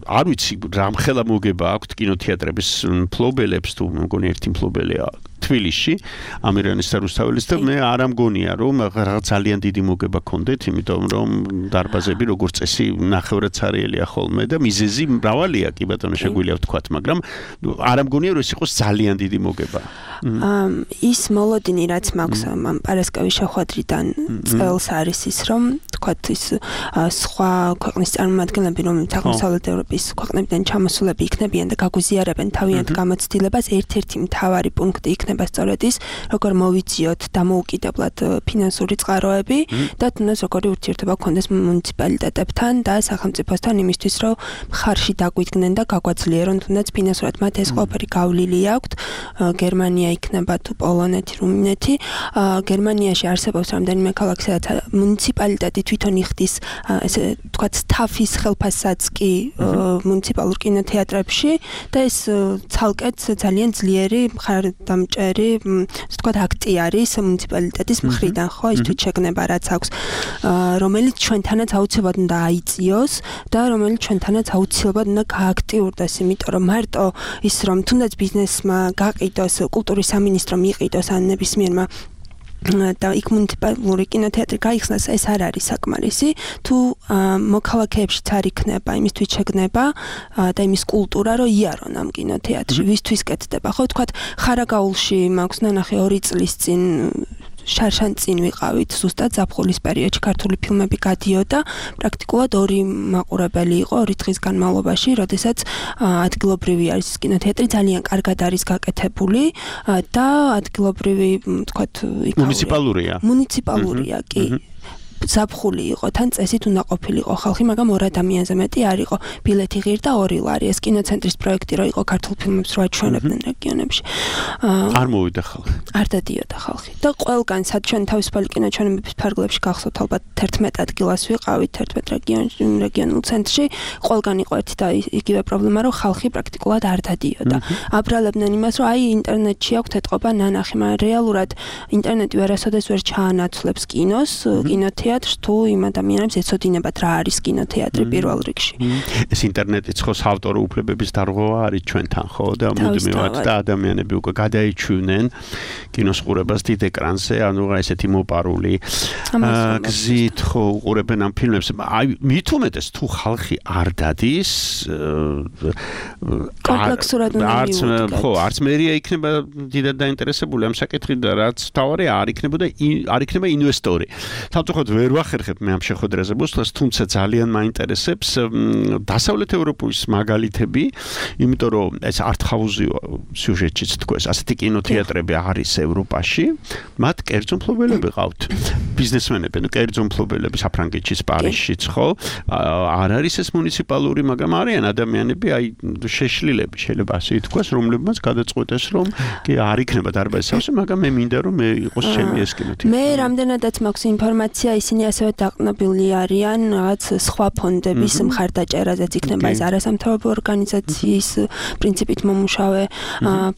არ ვიცი რამხელა მოგება აქვთ კინოთეატრების მფლობელებს, თუ მგონი ერთი მფლობელია თბილისში, ამირანის და რუსთაველის და მე არ ამგონია, რომ რაღაც ძალიან დიდი მოგება ქონდეთ, იმიტომ რომ დარბაზები როგორც წესი ნახევრად ცარიელია ხოლმე და მიზეზი მრავალია, კი ბატონო, შეგვიძლია ვთქვათ, მაგრამ არ ამგონია, რომ ეს იყოს ძალიან დიდი მოგება. ის მოლოდინი რაც მაქვს ამ პარასკევის შეხვედრიდან წელს არის ის, რომ თქვათ ის სხვა ქვეყნის წარმომადგენლები, რომლებიც აღმოსავლეთ ევროპის ქვეყნებიდან ჩამოსულები იქნებიან და გაგვიზიარებენ თავიანთ გამოცდილებას, ერთ-ერთი მთავარი პუნქტი იქნება იქნება სწორედ ის, როგორ მოვიძიოთ დამოუკიდებლად ფინანსური წყაროები და თუნდაც როგორი ურთიერთობა გქონდეს მუნიციპალიტეტებთან და სახელმწიფოსთან იმისთვის, რომ მხარში დაგვიდგნენ და გაგვაძლიერონ თუნდაც ფინანსურად მათ ეს ყველაფერი გავლილი აქვთ. გერმანია იქნება თუ პოლონეთი, რუმინეთი. გერმანიაში არსებობს რამდენიმე ქალაქი, სადაც მუნიციპალიტეტი თვითონ იხდის ესე თქვათ სტაფის ხელფასსაც კი მუნიციპალურ კინოთეატრებში და ეს ცალკეთ ძალიან ძლიერი მხარდამჭერი თქვათ აქტი არის მუნიციპალიტეტის მხრიდან, ხო, ის თვითშეგნება რაც აქვს, რომელიც ჩვენთანაც აუცილებლად უნდა აიწიოს და რომელიც ჩვენთანაც აუცილებლად უნდა გააქტიურდეს, იმიტომ რომ მარტო ის რომ თუნდაც ბიზნესმა გაყიდოს, კულტურის სამინისტრომ იყიდოს ან ნებისმიერმა და იქ მუნიციპალური კინოთეატრი გაიხსნას, ეს არ არის საკმარისი. თუ მოქალაქეებშიც არ იქნება იმის თვითშეგნება და იმის კულტურა, რომ იარონ ამ კინოთეატრში, ვისთვის კეთდება. ხო, თქვათ, ხარაგაულში მაქვს ნანახი ორი წლის წინ შარშან წინ ვიყავით, ზუსტად ზაფხულის პერიოდში ქართული ფილმები გადიოდა, პრაქტიკულად ორი მაყურებელი იყო ორი დღის განმავლობაში, როდესაც ადგილობრივი არის კინოთეატრი, ძალიან კარგად არის გაკეთებული და ადგილობრივი, თქვათ, მუნიციპალურია. მუნიციპალურია, კი. ზაფხული იყო, თან წესით უნდა ყოფილიყო ხალხი, მაგრამ ორ ადამიანზე მეტი არ იყო. ბილეთი ღირდა ორი ლარი. ეს კინოცენტრის პროექტი რო იყო ქართულ ფილმებს რო აჩვენებდნენ რეგიონებში. არ მოვიდა ხალხი. არ დადიოდა ხალხი. და ყველგან სად ჩვენ თავისუფალი კინოჩვენებების ფარგლებში გახსოვთ ალბათ თერთმეტ ადგილას ვიყავით, თერთმეტ რეგიონში, რეგიონულ ცენტრში, ყველგან იყო ერთი და იგივე პრობლემა, რომ ხალხი პრაქტიკულად არ დადიოდა. აბრალებდნენ იმას, რომ აი ინტერნეტში აქვთ ეთყობა ნანახი, მაგრამ რეალურად ინტერნეტი ვერასოდეს ვერ ჩაანაცვლებს კინოს, კინოთეატრს თუ იმ ადამიანებს ეცოდინებათ რა არის კინოთეატრი პირველ რიგში. ეს ინტერნეტიც ხო საავტორო უფლებების დარღვევა არის ჩვენთან, ხო და მუდმივად და ადამიანები უკვე გადაიჩვენენ კინოს ყურებას დიდ ეკრანზე, ანუ რა ესეთი მოპარული გზით ხო უყურებენ ამ ფილმებს. აი მით უმეტეს თუ ხალხი არ დადის კომპლექსურად უნდა მიუდგეთ. ხო, არც მერია იქნება დიდად დაინტერესებული ამ საკითხით და რაც თავარი არ იქნებოდა არ იქნება ინვესტორი. თავწუხაროდ ვერ ვახერხებ მე ამ შეხვედრაზე მოსვლას, თუმცა ძალიან მაინტერესებს დასავლეთ ევროპის მაგალითები, იმიტომ რომ ეს არტჰაუსი სიუჟეტშიც თქვეს, ასეთი კინოთეატრები არის ევროპაში, მათ კერძო მფლობელები ყავთ. ბიზნესმენები, ნუ კერძო მფლობელები საფრანგეთშიც, პარიზშიც, ხო? არ არის ეს მუნიციპალური, მაგრამ არიან ადამიანები, აი შეშლილები, შეიძლება ასე ითქვას, რომლებმაც გადაწყვეტეს, რომ კი არ იქნება დარბაზის სავსე, მაგრამ მე მინდა რომ მე იყოს ჩემი ეს კინოთეატრი. მე რამდენადაც მაქვს ინფორმაცია, ისინი ასევე დაყნობილი არიან რაღაც სხვა ფონდების მხარდაჭერაზეც, იქნება ეს არასამთავრობო ორგანიზაციის პრინციპით მომუშავე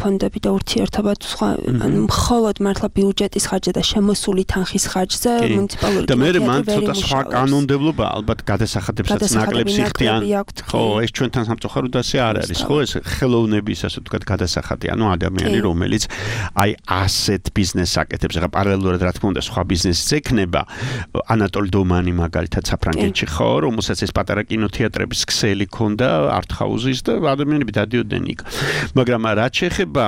ფონდები და ურთიერთობა თუ სხვა, ანუ მხოლოდ მართლა ბიუჯეტის ხარჯზე და შემოსული თანხის ხარჯზე მუნიციპალური და მე მან ცოტა სხვა კანონმდებლობა ალბათ გადასახადებსაც ნაკლებს იხდიან. ხო, ეს ჩვენთან სამწუხაროდ ასე არ არის, ხო, ეს ხელოვნების ასე ვთქვათ გადასახადი, ანუ ადამიანი რომელიც აი ასეთ ბიზნესს აკეთებს, ახლა პარალელურად რა თქმა უნდა სხვა ბიზნესიც ექნება. ანატოლ დომანი მაგალითად საფრანგეთში ხო, რომელსაც ეს პატარა კინოთეატრების ქსელი ქონდა არტჰაუსის და ადამიანები დადიოდნენ იქ. მაგრამ რაც შეეხება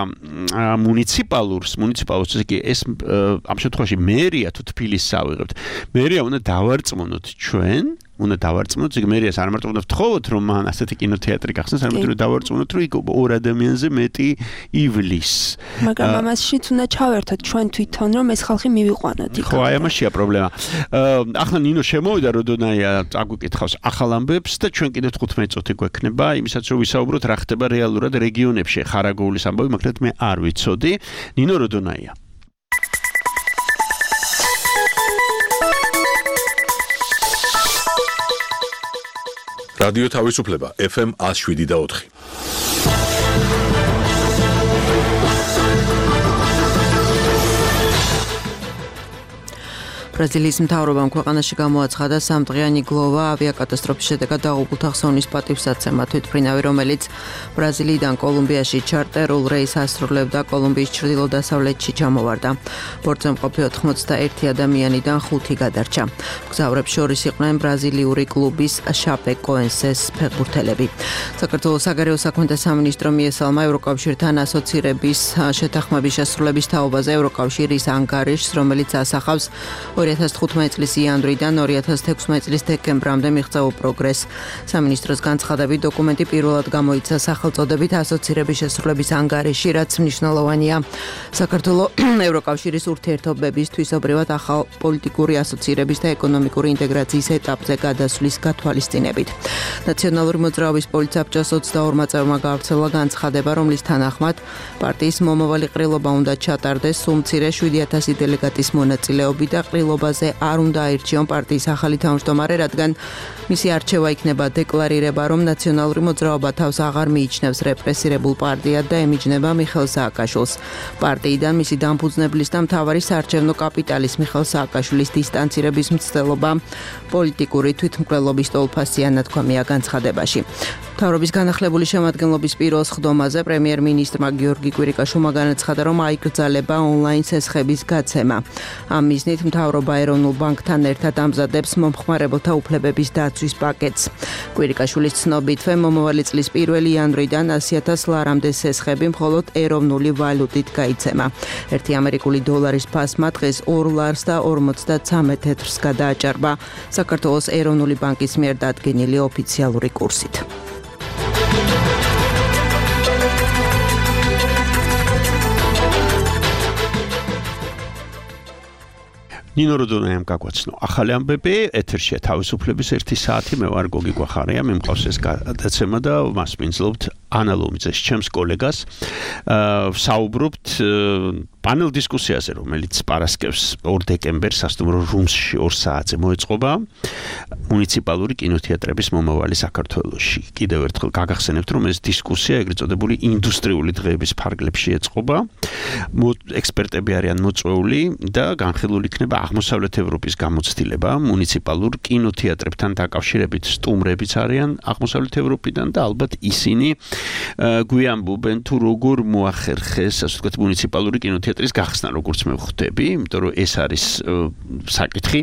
მუნიციპალურს, მუნიციპალურს იგი ეს ამ შემთხვევაში მერია თუ თბილისს ავიღებთ. მერია უნდა დავარწმუნოთ ჩვენ უნდა დავარწმუნოთ, იგი მერიას არ მარტო უნდა ვთხოვოთ, რომ მან ასეთი კინოთეატრი გახსნას, არამედ უნდა დავარწმუნოთ, რომ იქ ორ ადამიანზე მეტი ივლის. მაგრამ ამაშიც უნდა ჩავერთოთ ჩვენ თვითონ, რომ ეს ხალხი მივიყვანოთ იქ. ხო, აი ამაშია პრობლემა. ახლა ნინო შემოვიდა, როდონაია წაგვიკითხავს ახალ ამბებს და ჩვენ კიდევ თხუთმეტი წუთი გვექნება, იმისაც რომ ვისაუბროთ რა ხდება რეალურად რეგიონებში. ხარაგაულის ამბავი, მაგრამ მე არ ვიცოდი. ნინო როდონაია. რადიო თავისუფლება ეფ ემ one oh seven და four. ბრაზილიის მთავრობამ ქვეყანაში გამოაცხადა სამდღიანი გლოვა ავიაკატასტროფის შედეგად დაღუპულთა ხსოვნის პატივსაცემა. თვითმფრინავი, რომელიც ბრაზილიიდან კოლუმბიაში ჩარტერულ რეისს ასრულებდა, კოლუმბიის ჩრდილო-დასავლეთში ჩამოვარდა. ბორტზე მყოფი ოთხმოცდაერთი ადამიანიდან ხუთი გადარჩა. მგზავრებს შორის იყვნენ ბრაზილიური კლუბის შაპეკოენსეს ფეხბურთელები. საქართველოს საგარეო საქმეთა სამინისტრო მიესალმა ევროკავშირთან ასოცირების შეთანხმების შესრულების თაობაზე ევროკავშირის ანგარიშს, რომელიც ასახავს ორი ორი ათას თხუთმეტი წლის იანვრიდან ორი ათას თექვსმეტი წლის დეკემბრამდე მიღწევა პროგრესს. სამინისტროს განცხადებით დოკუმენტი პირველად გამოიცა სახელწოდებით ასოცირების შესრულების ანგარიში, რაც მნიშვნელოვანია. საქართველოს ევროკავშირის ურთიერთობების თვისობრივად ახალ პოლიტიკური ასოცირების და ეკონომიკური ინტეგრაციის ეტაპზე გადასვლის გათვალისწინებით. ნაციონალური მოძრაობის პოლიტსაბჭოს ოცდაორმა წევრმა გავრცელა განცხადება, რომლის თანახმად პარტიის მომავალი ყრილობა უნდა ჩატარდეს სულ მცირე შვიდი ათასი დელეგატის მონაწილეობით და ყრილობაზე არ უნდა აირჩიონ პარტიის ახალი თავმჯდომარე, რადგან მისი არჩევა იქნება დეკლარირება, რომ ნაციონალური მოძრაობა თავს აღარ მიიჩნევს რეპრესირებულ პარტიად და ემიჯნება მიხეილ სააკაშვილს. პარტიიდან მისი დამფუძნებლის და მთავარი საარჩევნო კაპიტალის მიხეილ სააკაშვილის დისტანცირების მცდელობა პოლიტიკური თვითმკვლელობის ტოლფასია ნათქვამია განცხადებაში. მთავრობის განახლებული შემადგენლობის პირველ სხდომაზე პრემიერ-მინისტრმა გიორგი კვირიკაშვილმა განაცხადა, რომ აიკრძალება ონლაინ სესხების გაცემა. ამ მიზნით მთავრობა ეროვნულ ბანკთან ერთად ამზადებს მომხმარებელთა უფლებების დაცვის პაკეტს. კვირიკაშვილის ცნობითვე მომავალი წლის პირველი იანვრიდან ასი ათას ლარამდე სესხები მხოლოდ ეროვნული ვალუტით გაიცემა. ერთი ამერიკული დოლარის ფასმა დღეს ორ ლარს და ორმოცდაცამეტ თეთრს გადააჭარბა საქართველოს ეროვნული ბანკის მიერ დადგენილი ოფიციალური კურსით. ნინო როდონაიამ გაგვაცნო ახალი ამბები ეთერშია თავისუფლების ერთი საათი მე ვარ გოგი გვახარია მე მყავს ეს გადაცემა და მას მინძლობთ ანა ლომიძეს ჩემს კოლეგას საუბრობთ პანელ დისკუსიაზე რომელიც პარასკევს ორ დეკემბერს სასტუმრო რუმსში ორ საათზე მოეწყობა მუნიციპალური კინოთეატრების მომავალი საქართველოში კიდევ ერთხელ გაგახსენებთ რომ ეს დისკუსია ეგრეთ წოდებული ინდუსტრიული დღეების ფარგლებში ეწყობა ექსპერტები არიან მოწვეული და განხილული იქნება აღმოსავლეთ ევროპის გამოცდილება მუნიციპალურ კინოთეატრებთან დაკავშირებით სტუმრებიც არიან აღმოსავლეთ ევროპიდან და ალბათ ისინი გვიამბობენ თუ როგორ მოახერხეს ასე ვთქვათ მუნიციპალური კინოთეატრის გახსნა როგორც მე ვხვდები იმიტომ რომ ეს არის საკითხი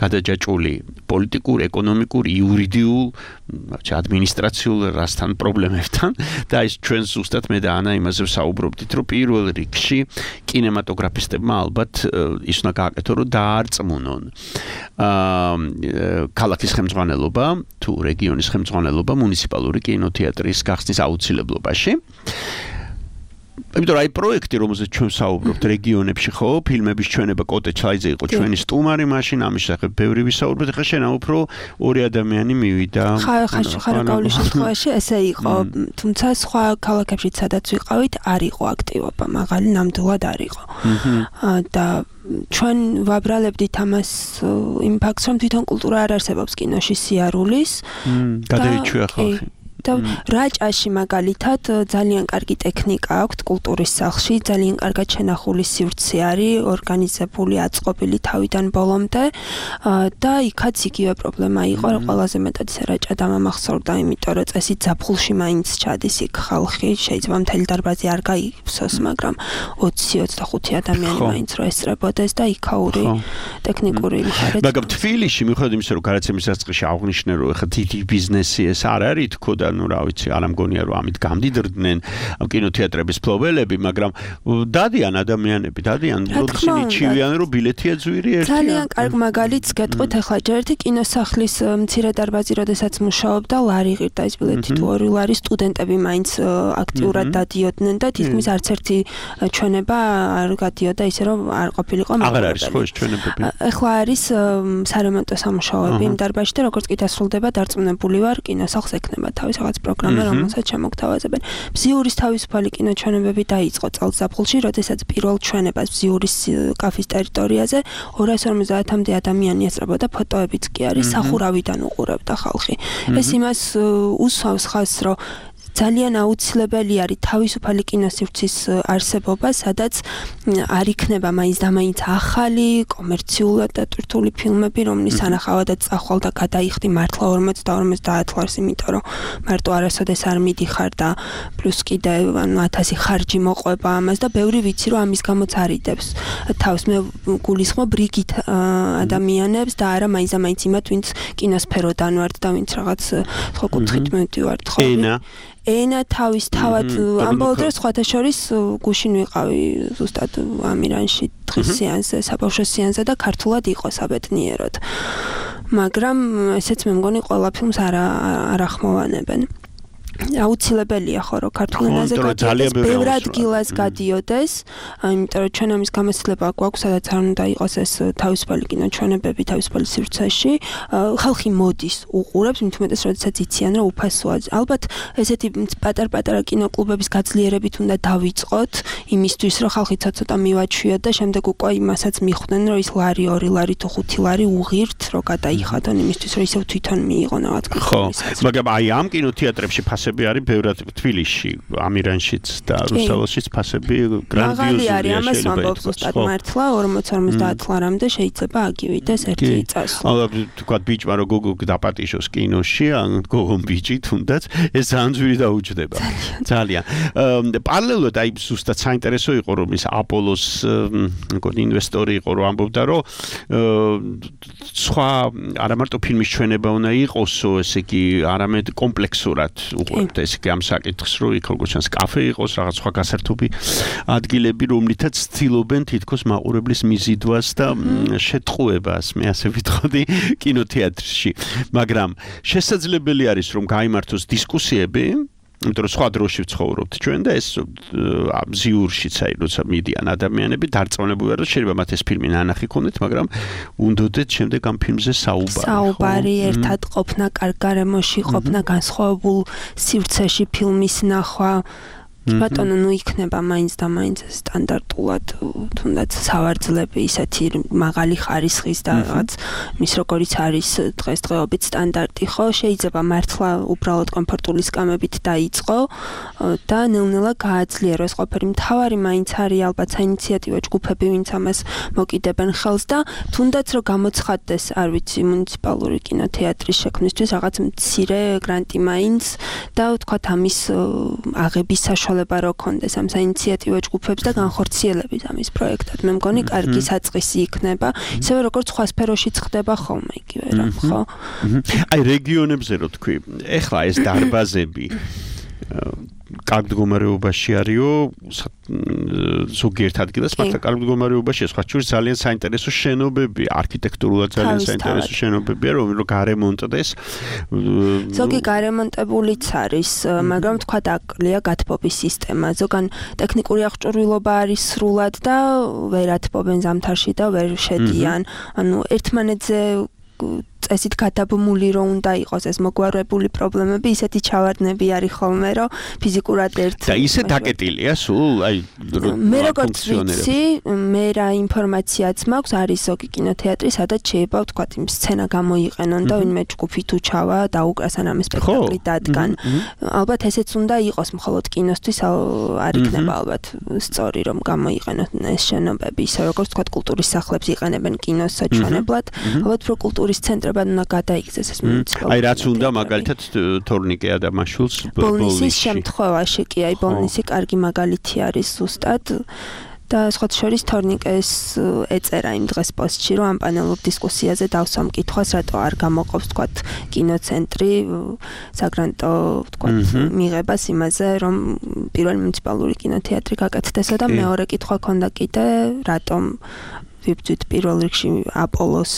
გადაჯაჭვული პოლიტიკურ, ეკონომიკურ, იურიდიულ, ადმინისტრაციულ რასთან პრობლემებთან და ის ჩვენ ზუსტად მე და ანა იმაზე ვსაუბრობდით რომ პირველ რიგში კინემატოგრაფისტებმა ალბათ ის უნდა გააკეთონ რომ დაარწმუნონ ქალაქის ხელმძღვანელობა თუ რეგიონის ხელმძღვანელობა მუნიციპალური კინოთეატრის გახსნის აუცილებლობაში იმიტომ რომ აი პროექტი რომელზეც ჩვენ ვსაუბრობთ რეგიონებში ხო ფილმების ჩვენება კოტე ჩაიძე იყო ჩვენი სტუმარი მაშინ ამის შესახებ ბევრი ვისაუბრეთ ახლა შენ უფრო ორი ადამიანი მივიდა ხარაკაულის შემთხვევაში ესე იყო თუმცა სხვა ქალაქებშიც სადაც ვიყავით არ იყო აქტივობა მაღალი ნამდვილად არ იყო და ჩვენ ვაბრალებდით ამას იმ ფაქტს რომ თვითონ კულტურა არ არსებობს კინოში სიარულის გადაიჩვია ხალხი და რაჭაში მაგალითად ძალიან კარგი ტექნიკა აქვს კულტურის სახლში, ძალიან კარგად შენახული სივრცე არის, ორგანიზებული, აწყობილი თავიდან ბოლომდე და იქაც იგივე პრობლემა იყო, რომ ყველაზე მეტად რაჭა დამამახსოვრდა, იმიტომ რომ წესით ზაფხულში მაინც ჩადის იქ ხალხი, შეიძლება მთელი დარბაზი არ გაიფსოს, მაგრამ ოცი ოცდახუთი ადამიანი მაინც რო ესწრებოდეს და იქაური ტექნიკური მხარეც. მაგრამ თბილისში მიუხედავად იმისა, რომ გადაცემის დასაწყისში აღვნიშნე, რომ ეხლა დიდი ბიზნესი ეს არ არის თქო და ну, რა ვიცი, არ ამგონია რომ ამით გამდიდრდნენ ამ კინოთეატრების ფლობელები, მაგრამ დადიან ადამიანები, დადიან, როდესაც მიჩივიან რომ ბილეთია ძვირი ერთი. ძალიან კარგ მაგალითს გეტყვით ახლა ჯერ ერთი კინოსახლის მცირე დარბაზი, როდესაც მუშაობდა, ლარი ღირდა ის ბილეთი თუ ორი ლარი სტუდენტები მაინც აქტიურად დადიოდნენ და თითქმის არც ერთი ჩვენება არ გადიოდა ისე რომ არ ყოფილიყო მაგალითად. აღარ არის ხო ეს ჩვენებები? ახლა არის სარემონტო სამუშაოები იმ დარბაზში და როგორც კი დასრულდება, დარწმუნებული ვარ, კინოსახლს ექნება თავის რაღაც პროგრამა, რომელსაც შემოგთავაზებენ. ბზიურის თავისუფალი კინოჩვენებები დაიწყო წელს ზაფხულში, როდესაც პირველ ჩვენებას ბზიურის კაფის ტერიტორიაზე ორას ორმოცდაათამდე ადამიანი ესწრებოდა, ფოტოებიც კი არის, სახურავიდან უყურებდა ხალხი. ეს იმას უსვამს ხაზს, რომ ძალიან აუცილებელი არის თავისუფალი კინოსივრცის არსებობა, სადაც არ იქნება მაინც და მაინც ახალი კომერციულად დატვირთული ფილმები, რომლის ანახავადაც წახვალ და გადაიხდი მართლა ორმოცდა ორმოცდაათ ლარს, იმიტომ რომ მარტო არასოდეს არ მიდიხარ და პლუს კიდე ანუ ათასი ხარჯი მოყვება ამას და ბევრი ვიცი რომ ამის გამოც არიდებს თავს მე გულისხმობ რიგით ადამიანებს და არა მაინც და მაინც იმათ ვინც კინოსფეროდან ვართ და ვინც რაღაც ხო კუთხით მივდივართ ხო ენა თავის თავად ამბობ დროს სხვათა შორის გუშინ ვიყავი ზუსტად ამირანში დღის სეანსზე, საბავშვო სეანსზე და ქართულად იყო საბედნიეროდ. მაგრამ ესეც მე მგონი ყველა ფილმს არ არ ახმოვანებენ. აუცილებელია ხო რომ ქართულ ენაზე გადიოდეს, ბევრ ადგილას გადიოდეს, იმიტომ რომ ჩვენ ამის გამოცდილება გვაქვს, სადაც არ უნდა იყოს ეს თავისუფალი კინოჩვენებები თავისუფალი სივრცეში, ხალხი მოდის, უყურებს, მით უმეტეს როდესაც იციან რომ უფასოა. ალბათ ესეთი პატარ-პატარა კინოკლუბების გაძლიერებით უნდა დავიწყოთ, იმისთვის რომ ხალხი ცოტა მივაჩვიოთ და შემდეგ უკვე იმასაც მიხვდნენ, რომ ის ლარი, ორი ლარი თუ ხუთი ლარი უღირთ, რომ გადაიხადონ იმისთვის, რომ ისევ თვითონ მიიღონ რაღაც კითხვის. ხო, მაგრამ აი ამ კინოთეატრებში ფასები არის ბევრად თბილისში, ამირანშიც და რუსთაველშიც ფასები გრანდიოზულია. მაღალი არის, ამას ვამბობ ზუსტად მართლა, ორმოც ორმოცდაათ ლარამდე შეიძლება აგივიდეს ერთი წასვლა. აა თქვა ბიჭმა რომ გოგო დაპატიშოს კინოში, ან გოგონ ბიჭი თუნდაც, ეს ძალიან ძვირი დაუჯდება. ძალიან. პარალელურად აი ზუსტად საინტერესო იყო რომ ის აპოლოს მგონი ინვესტორი იყო რომ ამბობდა რომ სხვა არა მარტო ფილმის ჩვენება უნდა იყოსო, ესე იგი არამედ კომპლექსურად უყურებთ ეს კი ამ საკითხს, რომ იქ როგორც ჩანს კაფე იყოს, რაღაც სხვა გასართობი ადგილები, რომლითაც ცდილობენ თითქოს მაყურებლის მიზიდვას და შეტყუებას, მე ასე ვიტყოდი, კინოთეატრში. მაგრამ შესაძლებელი არის რომ გაიმართოს დისკუსიები, იმიტომ რომ სხვა დროში ვცხოვრობთ ჩვენ და ეს ზიურშიც აი როცა მიდიან ადამიანები დარწმუნებული რომ შეიძლება მათ ეს ფილმი ნანახი ქონდეთ, მაგრამ უნდოდეთ შემდეგ ამ ფილმზე საუბარი. საუბარი, ერთად ყოფნა, კარგ გარემოში ყოფნა, განსხვავებულ სივრცეში ფილმის ნახვა. ბატონო, ნუ იქნება მაინც და მაინც სტანდარტულად თუნდაც სავარძლები ისეთი მაღალი ხარისხის და რაღაც მის როგორიც არის დღესდღეობით სტანდარტი, ხო, შეიძლება მართლა უბრალოდ კომფორტული სკამებით დაიწყო და ნელ-ნელა გააძლიეროს ყოფილი. მთავარი მაინც არის ალბათ საინიციატივო ჯგუფები, ვინც ამას მოკიდებენ ხელს და თუნდაც რომ გამოცხადდეს, არ ვიცი, მუნიციპალური კინოთეატრის შექმნისთვის რაღაც მცირე გრანტი მაინც და ვთქვათ ამის აღების საშუალება რო კონდეს ამ საინიციატივო ჯგუფებს და განხორციელების ამის პროექტად. მე მგონი კარგი საწყისი იქნება, ისევე როგორც სხვა სფეროშიც ხდება ხოლმე იგივე რა, ხო? აი რეგიონებზე რო თქვი, ეხლა ეს დარბაზები კარგ მდგომარეობაში არისო, ზოგიერთ ადგილას მართლა კარგ მდგომარეობაშია, სხვა შორის ძალიან საინტერესო შენობები, არქიტექტურულად ძალიან საინტერესო შენობებია, რომ გარემონტდეს. ზოგი გარემონტებულიც არის, მაგრამ თქვა დაკლია გათბობის სისტემა. ზოგან ტექნიკური აღჭურვილობა არის სრულად და ვერ ათბობენ ზამთარში და ვერ შედიან. ანუ ერთმანეთზე წესით გადაბმული რომ უნდა იყოს ეს მოგვარებული პრობლემები, ისეთი ჩავარდნები არის ხოლმე, რომ ფიზიკურად ერთ და ისე დაკეტილია სულ, აი მე როგორც ვიცი, მე რა ინფორმაციაც მაქვს, არის ზოგი კინოთეატრი, სადაც შეიძლება ვთქვათ იმ სცენა გამოიყენონ და ვინმე ჯგუფი თუ ჩავა და უკრას ან ამ სპექტაკლი დადგან. ალბათ ესეც უნდა იყოს მხოლოდ კინოსთვის, არ იქნება ალბათ სწორი რომ გამოიყენონ ეს შენობები, ისე როგორც ვთქვათ კულტურის სახლებს იყენებენ კინოს საჩვენებლად, ალბათ რო კულტურის ცენტრებად უნდა გადაიქცეს ეს მუნიციპალური. აი რაც უნდა მაგალითად თორნიკე ადამაშვილს ბოლნისის შემთხვევაში კი აი ბოლნისი კარგი მაგალითი არის ზუსტად და სხვათა შორის თორნიკეს ეწერა იმ დღეს პოსტში, რომ ამ პანელურ დისკუსიაზე დავსვამ კითხვას, რატო არ გამოყოფს თქვათ კინოცენტრი საგრანტო თქვათ მიღებას იმაზე, რომ პირველი მუნიციპალური კინოთეატრი გაკეთდეს და მეორე კითხვა ქონდა კიდე, რატომ ვიბძვით პირველ რიგში აპოლოს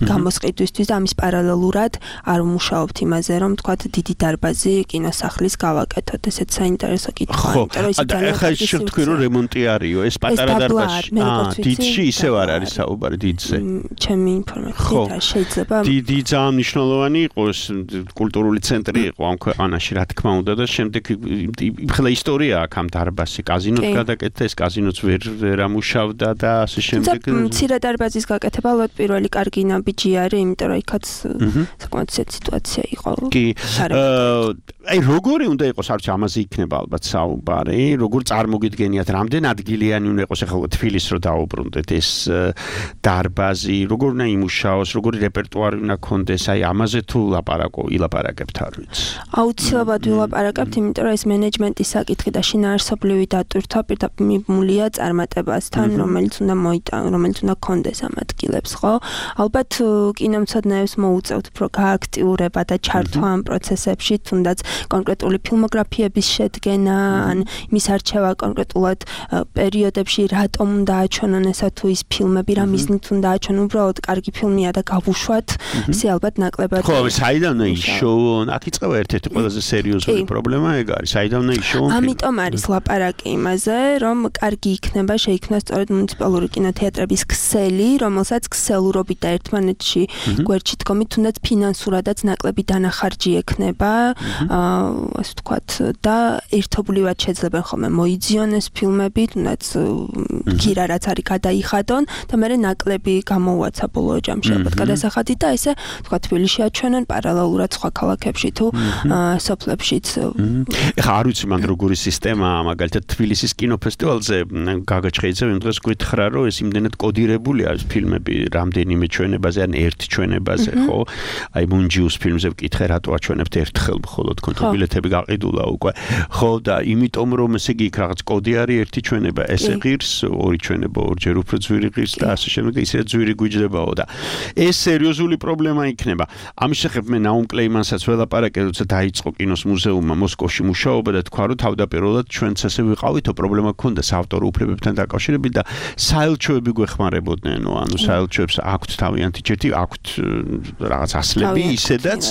გამოსყიდვისთვის და ამის პარალელურად არ ვმუშაობთ იმაზე, რომ თქვათ დიდი დარბაზი კინოსახლის გავაკეთოთ. ესეც საინტერესო კითხვაა, იმიტომ რომ ის ძალიან ხა ის შევთქვი რომ რემონტი არისო, ეს პატარა დარბაზი. აა, დიდში ისევ არ არის საუბარი დიდზე. ჩემი ინფორმაციით შეიძლება დიდი ძალიან მნიშვნელოვანი იყოს კულტურული ცენტრი იყო ამ ქვეყანაში, რა თქმა უნდა და შემდეგ იმხელა ისტორია აქვს ამ დარბაზში, კაზინოც გადაკეთდა, ეს კაზინოც ვერ ვერ ამუშავდა და ასე შემდეგ. მცირე დარბაზის გაკეთება ალბათ პირველი კარგი ნაბიჯი არის, იმიტომ რომ იქაც საკმაოდ სიტუაცია იყო. კი. აი როგორი უნდა იყოს, არც ამაზე იქნება ალბათ საუბარი, როგორ წარმოგიდგენიათ, რამდენ ადგილიანი უნდა იყოს ახლა თბილისს რო დაუბრუნდეთ ეს დარბაზი, როგორ უნდა იმუშაოს, როგორი რეპერტუარი უნდა ქონდეს, აი ამაზე თუ ლაპარაკო, ილაპარაკებთ არ ვიცი. აუცილებლად ვილაპარაკებთ, იმიტომ რომ ეს მენეჯმენტის საკითხი და შინაარსობრივი დატვირთვა პირდაპირ მიბმულია წარმატებასთან, რომელიც უნდა მოიტანოს რომელიც უნდა კონდეს ამ ადგილებს, ხო? ალბათ კინომცოდნეებს მოუწევთ უფრო გააქტიურება და ჩართვა ამ პროცესებში, თუნდაც კონკრეტული ფილმოგრაფიების შედგენა, ან მის არჩევა კონკრეტულად პერიოდებში რატომ უნდა აჩვენონ ესა თუ ის ფილმები, რა მიზნით უნდა აჩვენონ, უბრალოდ კარგი ფილმია და გავუშვათ, ისე ალბათ ნაკლებად. ხო, საიდანვე ისოვონ, აქ იწყება ერთ-ერთი ყველაზე სერიოზული პრობლემა ეგ არის, საიდანვე ისოვონ. ამიტომ არის ლაპარაკი იმაზე, რომ კარგი იქნება შეიქმნას სწორედ მუნიციპალური კინოთეატრების ქსელი, რომელსაც ქსელურობით და ერთმანეთში გვერდში დგომით, თუნდაც ფინანსურადაც ნაკლები დანახარჯი ექნება, ასე ვთქვათ, და ერთობლივად შეძლებენ ხოლმე მოიძიონ ეს ფილმები, თუნდაც გირა რაც არის გადაიხადონ და მე ნაკლები გამოუაცა ბოლო ჯამში ალბათ გადასახადი და ესე ვთქვათ თბილისში აჩვენონ პარალელურად სხვა ქალაქებში თუ სოფლებშიც. ეხლა არ ვიცი მან როგორი სისტემაა, მაგალითად თბილისის კინოფესტივალზე გაგა ჩხეიძე იმ დღეს გითხრა, რომ ეს იმდენად კოდირებულია ეს ფილმები რამდენიმე ჩვენებაზე, ან ერთ ჩვენებაზე, ხო? აი მუნჯიუს ფილმზე ვკითხე, რატო აჩვენებთ ერთხელ მხოლოდ, თქო ბილეთები გაყიდულა უკვე. ხო, და იმიტომ რომ ესე იგი იქ რაღაც კოდი არის, ერთი ჩვენება ესე ღირს, ორი ჩვენება ორჯერ უფრო ძვირი ღირს და ასე შემდეგ და ისე ძვირი გვიჯდებაო და ეს სერიოზული პრობლემა იქნება. ამის შესახებ მე ნაუმ კლეიმანსაც ველაპარაკე, როცა დაიწყო კინოს მუზეუმმა მოსკოვში მუშაობა და თქვა, რომ თავდაპირველად ჩვენც ასე ვიყავითო, პრობლემა გქონდა საავტორო უფლებებთან დაკავშირებით და საელჩოები გვეხმარებოდნენ, ანუ საელჩოებს აქვთ თავიანთი ჯეთი, აქვთ რაღაც ასლები ისედაც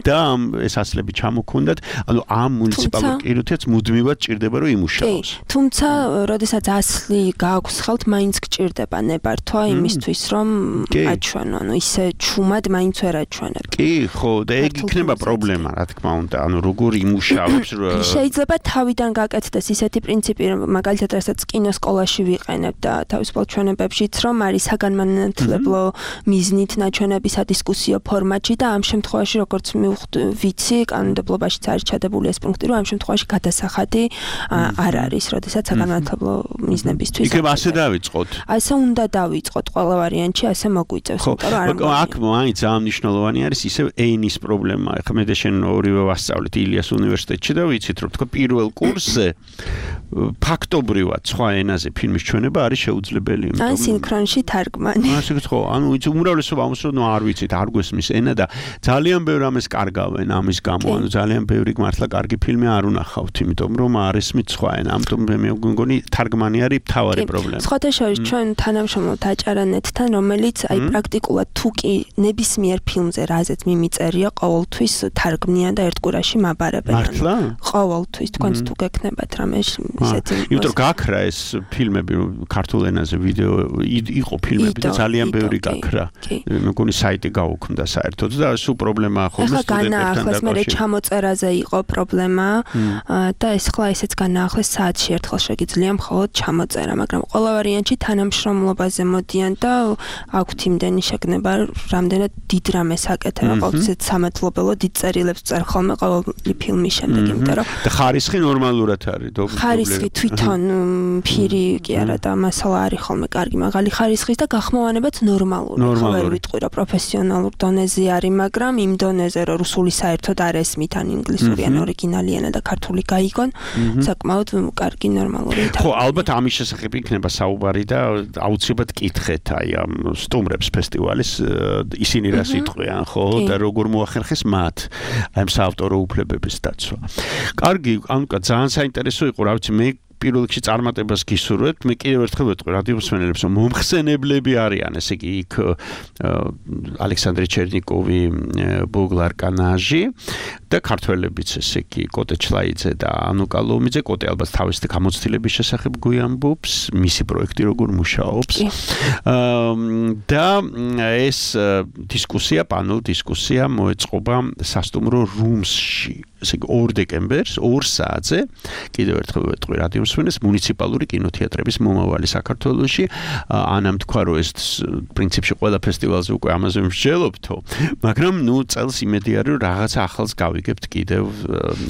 და ეს ასლები ჩამოქონდათ, ანუ ამ მუნიციპალურ კინოთეატრს მუდმივად ჭირდება რომ იმუშაოს. თუმცა, როდესაც ასლი გააქვს ხელთ, მაინც გჭირდება ნებართვა იმისთვის, რომ აჩვენო, ანუ ისე ჩუმად მაინც ვერ აჩვენებ. კი, ხო, და ეგ იქნება პრობლემა, რა თქმა უნდა, ანუ როგორ იმუშავებს. შეიძლება თავიდან გაკეთდეს ისეთი პრინციპი, მაგალითად, რასაც კინოსკოლაში ვიყენებ და თავისუფალ ჩვენებებშიც, რომ არის საგანმანათლებლო მიზნით ნაჩვენები სადისკუსიო ფორმატში და ამ შემთხვევაში, როგორც ვიცი, კანონმდებლობაშიც არის ჩადებული ეს პუნქტი, რომ ამ შემთხვევაში გადასახადი არ არის, როდესაც საგანმანათლებლო მიზნებისთვის. იქნება ასე დავიწყოთ. ასე უნდა დავიწყოთ, ყველა ვარიანტში ასე მოგვიწევს, იმიტომ რომ აქ მაინც ძალიან მნიშვნელოვანი არის ისევ ენის პრობლემა. ეხლა მე და შენ ორივე ვასწავლეთ ილიას უნივერსიტეტში და ვიცით, რომ თქვა პირველ კურსზე ფაქტობრივად სხვა ენაზე ფილმის ჩვენება არის შეუძლებელი. ან სინქრონში თარგმანი. ასე ხო, ანუ იცი უმრავლესობა ამოსო არ ვიცით, არ გვესმის ენა და ძალიან ბევრ ამას კარგავენ ამის გამო, ანუ ძალიან ბევრი მართლა კარგი ფილმი არ უნახავთ, იმიტომ რომ არ ესმით სხვა ენა. ამიტომ მე მეგონი თარგმანი არის მთავარი პრობლემა. სხვათა შორის ჩვენ თანამშრომლობთ აჭარანეთთან, რომელიც აი პრაქტიკულად თუ კი ნებისმიერ ფილმზე რაზეც მიმიწერია, ყოველთვის თარგმნიან და ერთ კვირაში მაბარებენ. მართლა? ყოველთვის თქვენც თუ გექნებათ რამე ისეთი. იმიტომ რომ გაქრა ეს ფილმები ქართულ ენაზე ვიდეო იყო ფილმები და ძალიან ბევრი გაქრა. მეგონი საიტი გაუქმდა საერთოდ და სულ პრობლემაა ხოლმე სტუდენტებთან დაკავშირებით. ახლა მე ჩამოწერაზე იყო პრობლემა და ეს ხლა ისეც განაახლეს საათში ერთხელ შეგიძლია მხოლოდ ჩამოწერა, მაგრამ ყველა ვარიანტში თანამშრომლობაზე მოდიან და აქვთ იმდენი შეგნება, რამდენად დიდ რამეს აკეთებ, ყოველთვის სამადლობელო დიდ წერილებს წერ ხოლმე ყოველი ფილმის შემდეგ, იმიტომ რომ და ხარისხი ნორმალურად არის, ხარისხი თვითონ ფირი კი არა და მასალა არის ხოლმე კარგი, მაღალი ხარისხის და გახმოვანებაც ნორმალური. ვერ ვიტყვი რომ პროფესიონალურ დონეზე არის, მაგრამ იმ დონეზე რომ რუსული საერთოდ არ ესმით, ან ინგლისური, ან ორიგინალი ენა და ქართული გაიგონ, საკმაოდ კარგი ნორმალური. ხო, ალბათ ამის შესახებ იქნება საუბარი და აუცილებლად კითხეთ აი ამ სტუმრებს ფესტივალის ისინი რას იტყვიან, ხო, და როგორ მოახერხეს მათ აი ამ საავტორო უფლებების დაცვა. კარგი, ანუ ძალიან საინტერესო იყო, რა ვიცი, მე პირველ რიგში წარმატებას გისურვებთ. მე კიდევ ერთხელ ვეთქვი რადიომსმენელებს, რომ მომხსენებლები არიან, ესე იგი იქ ალექსანდრე ჩერნიკოვი, ბოგლარ კანაჟი და ქართველებიც, ესე იგი კოტე ჩლაიძე და ანუკა ლომიძე. კოტე ალბათ თავისი გამოცდილების შესახებ გვიამბობს, მისი პროექტი როგორ მუშაობს. და ეს დისკუსია, პანელ დისკუსია მოეწყობა სასტუმრო რუმსში. ესე იგი ორ დეკემბერს ორ საათზე კიდევ ერთხელ ვეთყვი რადიომსმენელს მუნიციპალური კინოთეატრების მომავალი საქართველოში. ანამ თქვა, რომ ეს პრინციპში ყველა ფესტივალზე უკვე ამაზე მსჯელობთო, მაგრამ ნუ წელს იმედი არის, რომ რაღაცა ახალს გავიგებთ კიდევ.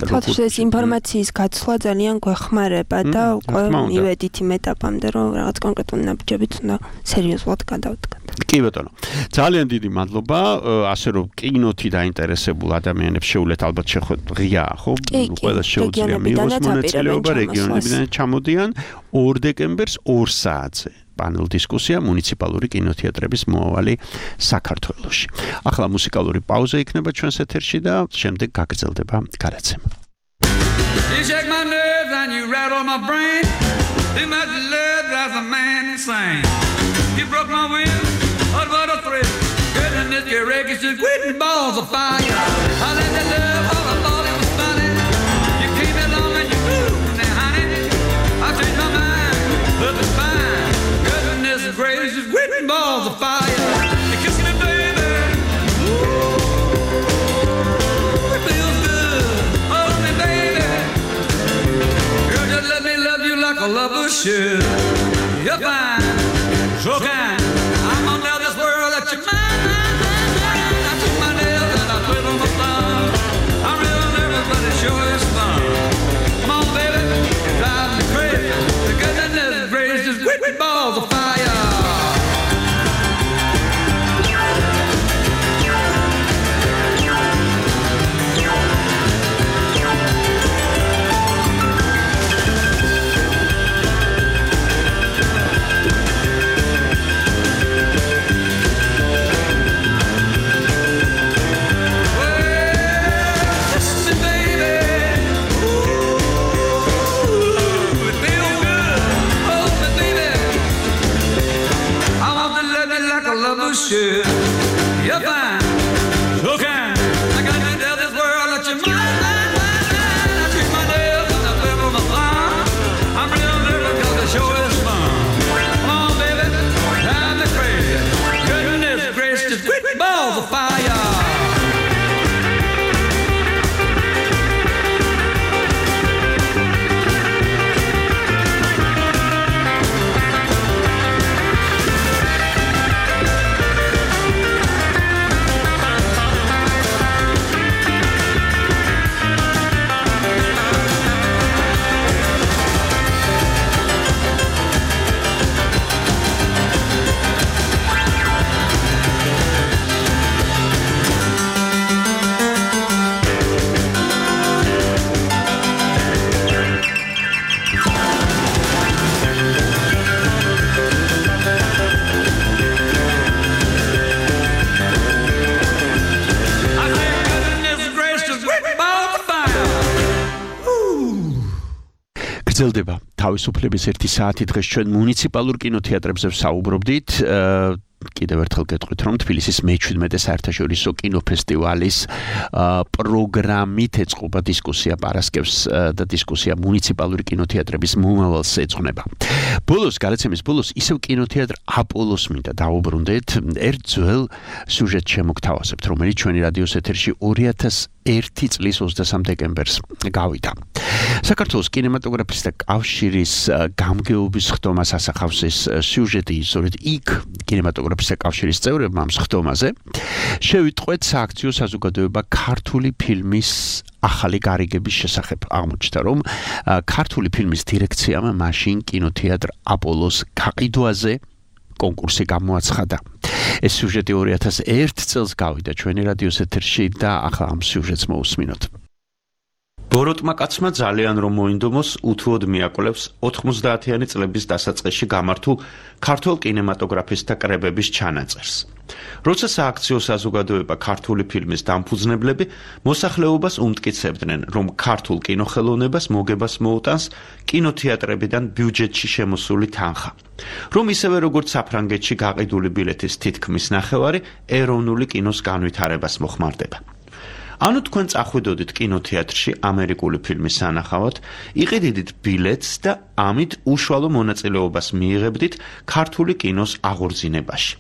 თქო, ეს ინფორმაციის გაცვლა ძალიან გვეხმარება და უკვე მივედით იმ ეტაპამდე, რომ რაღაც კონკრეტული ნაბიჯებით უნდა სერიოზულად გადავდგათ. კი ბატონო. ძალიან დიდი მადლობა, ასე რომ კინოთი დაინტერესებულ ადამიანებს შეუძლეთ ალბათ შეხვედრა ღია, ხო? ყველა შეუძლია მიიღოს მონაწილეობა, რეგიონებიდან ჩამოდიან ორ დეკემბერს ორ საათზე. პანელ დისკუსია მუნიციპალური კინოთეატრების მოავალი საქართველოში. ახლა მუსიკალური პაუზა იქნება ჩვენს ეთერში და შემდეგ გაგრძელდება გადაცემა. You shake my nerves and you rattle my brain. Too much love drives a man insane. You broke my will, oh what a thrill. Goodness, your wreckage is quitting balls of fire. I let the love all I thought it was funny. You came along and you moved me, honey. I changed my mind, look it's fine. Goodness gracious, quitting balls of fire. You kiss me, baby. Ooh, it feels good. Hold me, baby. Girl, just let me love you like a lover should. You're fine, so kind. I'm gonna tell this world that you're mine. Sure is fun. Come on, baby, drive me crazy. The goodness gracious, with balls of fire. Should. You're fine, so kind. I got to tell this world that you're mine, mine, mine, mine. I treat my nails and I flip on my thumb. I'm real nervous because the show is fun. Come on, baby, drive me crazy. Goodness gracious, with balls of fire. გრძელდება თავისუფლების ერთი საათი დღეს ჩვენ მუნიციპალურ კინოთეატრებზე ვსაუბრობდით. კიდევ ერთხელ გეტყვით, რომ თბილისის მეჩვიდმეტე საერთაშორისო კინოფესტივალის პროგრამით ეწყობა დისკუსია პარასკევს და დისკუსია მუნიციპალური კინოთეატრების მომავალს ეძღვნება. ბოლოს, გადაცემის ბოლოს ისევ კინოთეატრ აპოლოს მინდა დავუბრუნდეთ. ერთ ძველ სიუჟეტს შემოგთავაზებთ, რომელიც ჩვენი რადიოს ეთერში ორი ათას ერთი წლის ოცდასამ დეკემბერს გავიდა. საქართველოს კინემატოგრაფისტთა კავშირის გამგეობის ხდომას ასახავს ეს სიუჟეტი, სწორედ იქ კინემატოგრაფისტთა კავშირის წევრებმა ამ ხდომაზე შევიტყვეთ სააქციო საზოგადოება ქართული ფილმის ახალი გარიგების შესახებ. აღმოჩნდა, რომ ქართული ფილმის დირექციამ მაშინ კინოთეატრ აპოლოს გაყიდვაზე კონკურსი გამოაცხადა. ეს სიუჟეტი ორი ათას ერთ წელს გავიდა ჩვენი რადიოს ეთერში და ახლა ამ სიუჟეტს მოусმინოთ. ბოროტმა კაცმა ძალიან რომ მოინდომოს, უთუოდ მიაკვლევს ოთხმოცდაათიანი წლების დასაწყისში გამართულ ქართულ კინემატოგრაფისტთა კრებების ჩანაწერს. როცა სააქციო საზოგადოება ქართული ფილმის დამფუძნებლები მოსახლეობას უმტკიცებდნენ, რომ ქართულ კინოხელოვნებას მოგებას მოუტანს კინოთეატრებიდან ბიუჯეტში შემოსული თანხა, რომ ისევე როგორც საფრანგეთში გაყიდული ბილეთის თითქმის ნახევარი ეროვნული კინოს განვითარებას მოხმარდება. ანუ თქვენ წახვიდოდით კინოთეატრში ამერიკული ფილმის სანახავად, იყიდიდით ბილეთს და ამით უშუალო მონაწილეობას მიიღებდით ქართული კინოს აღორძინებაში.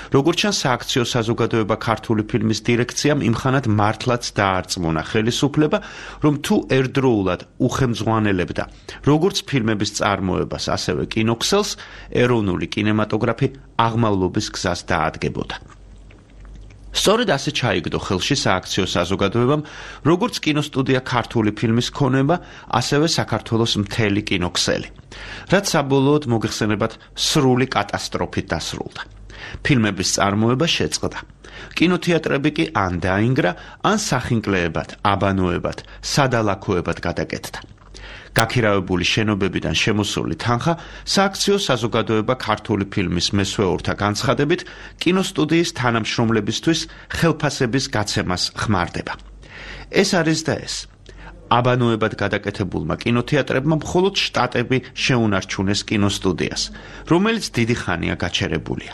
როგორც ჩანს, სააქციო საზოგადოება ქართული ფილმის დირექციამ იმხანად მართლაც დაარწმუნა ხელისუფლება, რომ თუ ერთდროულად უხელმძღვანელებდა როგორც ფილმების წარმოებას, ასევე კინოქსელს, ეროვნული კინემატოგრაფი აღმავლობის გზას დაადგებოდა. სწორედ ასე ჩაიგდო ხელში სააქციო საზოგადოებამ, როგორც კინოსტუდია ქართული ფილმის ქონება, ასევე საქართველოს მთელი კინოქსელი, რაც საბოლოოდ მოგეხსენებათ სრული კატასტროფით დასრულდა. ფილმების წარმოება შეწყდა. კინოთეატრები კი ან დაინგრა, ან სახინკლეებად, აბანოებად, სადალაქოებად გადაკეთდა. გაქირავებული შენობებიდან შემოსული თანხა სააქციო საზოგადოება ქართული ფილმის მესვეურთა განცხადებით კინოსტუდიის თანამშრომლებისთვის ხელფასების გაცემას ხმარდება. ეს არის და ეს. აბანოებად გადაკეთებულმა კინოთეატრებმა მხოლოდ შტატები შეუნარჩუნეს კინოსტუდიას, რომელიც დიდი ხანია გაჩერებულია.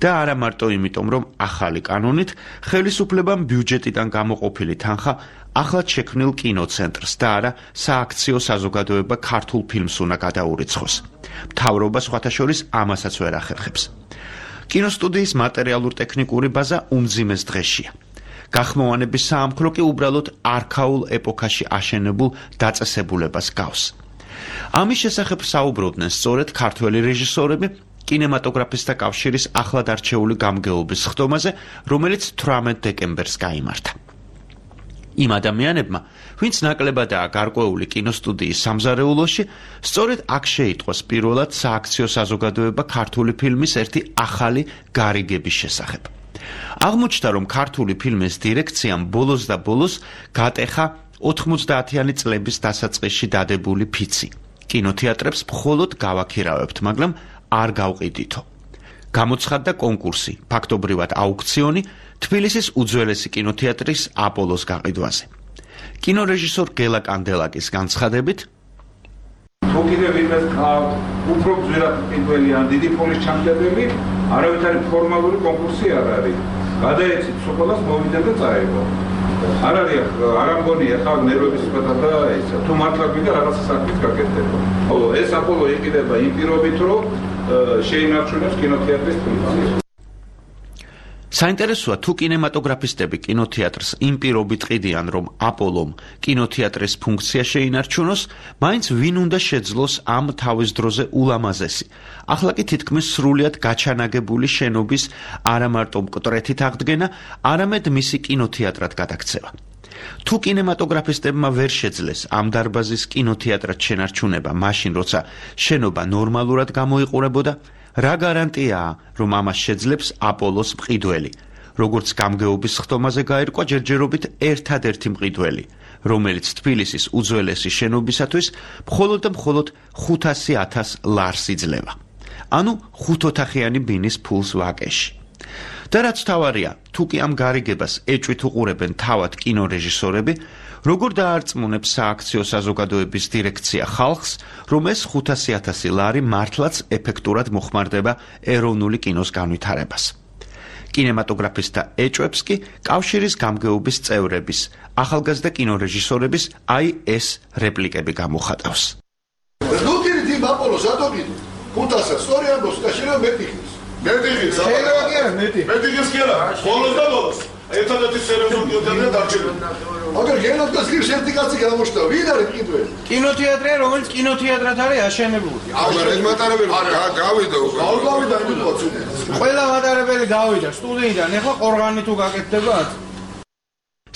და არა მარტო იმიტომ, რომ ახალი კანონით ხელისუფლებამ ბიუჯეტიდან გამოყოფილი თანხა ახლად შექმნილ კინოცენტრს და არა სააქციო საზოგადოება ქართულ ფილმს უნდა გადაურიცხოს. მთავრობა სხვათა შორის ამასაც ვერ ახერხებს. კინოსტუდიის მატერიალურ-ტექნიკური ბაზა უმძიმეს დღეშია. გახმოვანების საამქრო კი უბრალოდ არქაულ ეპოქაში აშენებულ დაწესებულებას გავს. ამის შესახებ საუბრობდნენ სწორედ ქართველი რეჟისორები კინემატოგრაფისტთა კავშირის ახლად არჩეული გამგეობის ხდომაზე, რომელიც თვრამეტ დეკემბერს გაიმართა. იმ ადამიანებმა, ვინც ნაკლებადაა გარკვეული კინოსტუდიის სამზარეულოში, სწორედ აქ შეიტყვეს პირველად სააქციო საზოგადოება ქართული ფილმის ერთი ახალი გარიგების შესახებ. აღმოჩნდა, რომ ქართული ფილმის დირექციამ ბოლოს და ბოლოს გატეხა ოთხმოცდაათიანი წლების დასაწყისში დადებული ფიცი. კინოთეატრებს მხოლოდ გავაქირავებთ, მაგრამ არ გავყიდითო. გამოცხადდა კონკურსი, ფაქტობრივად აუქციონი თბილისის უძველესი კინოთეატრის აპოლოს გაყიდვაზე. კინორეჟისორ გელა კანდელაკის განცხადებით, თუ კიდევ ვინმეს ყავთ უფრო ძვირად პირველი ან დიდი ფულის ჩამწედები, არავითარი ფორმალური კონკურსი არ არის. გადაეცით სოფლას მოვიდნენ და წაიღო. არ არის არ ამგონია ხარ ნერვების სპეთა და ისა. თუ მართლა გვინდა რაღაცა საქმის გაკეთება. ეს აპოლო იყიდება იმ პირობით, რომ შეინარჩუნებს კინოთეატრის ფუნქციას. საინტერესოა თუ კინემატოგრაფისტები კინოთეატრს იმ პირობით ყიდიან, რომ აპოლომ კინოთეატრის ფუნქცია შეინარჩუნოს, მაინც ვინ უნდა შეძლოს ამ თავის დროზე ულამაზესი, ახლა კი თითქმის სრულიად გაჩანაგებული შენობის არა მარტო მკვეთრით აღდგენა, არამედ მისი კინოთეატრად გადაქცევა. თუ კინემატოგრაფისტებმა ვერ შეძლეს ამ დარბაზის კინოთეატრად შენარჩუნება, მაშინ როცა შენობა ნორმალურად გამოიყურებოდა, რა გარანტიაა, რომ ამას შეძლებს აპოლოს მყიდველი, როგორც გამგეობის ხდომაზე გაირკვა ჯერჯერობით ერთადერთი მყიდველი, რომელიც თბილისის უძველესი შენობისათვის მხოლოდ და მხოლოდ ხუთასი ათას ლარს იძლევა. ანუ ხუთოთახიანი ბინის ფულს ვაკეში. და რაც თავარია, თუ კი ამ გარიგებას ეჭვით უყურებენ თავად კინორეჟისორები, როგორ დაარწმუნებს სააქციო საზოგადოების დირექცია ხალხს, რომ ეს ხუთასი ათასი ლარი მართლაც ეფექტურად მოხმარდება ეროვნული კინოს განვითარებას. კინემატოგრაფისტთა ეჭვებს კი კავშირის გამგეობის წევრების, ახალგაზრდა კინორეჟისორების აი ეს რეპლიკები გამოხატავს. ნუქირი თი აპოლოს ატოგიდო. ხუთასი სწორი ამბობს, კავშირი მეტიხის. მეტიხის. შეიძლება კი არა მეტი. მეტიხის კი არა. ბოლოს და ბოლოს. ერთადერთი სერიოზული კინოთეატრი დარჩენილი. აგერ გენოთას კი ერთი კაცი გამოჩნდა, ვინ არის მყიდველი? კინოთეატრია, რომელიც კინოთეატრად არის აშენებული. აღარ ეს მატარებელი გავიდა უკვე. არ გავიდა იმ პროცესში. ყველა მატარებელი გავიდა სტუდიიდან, ეხლა ყორღანი თუ გაკეთდებათ?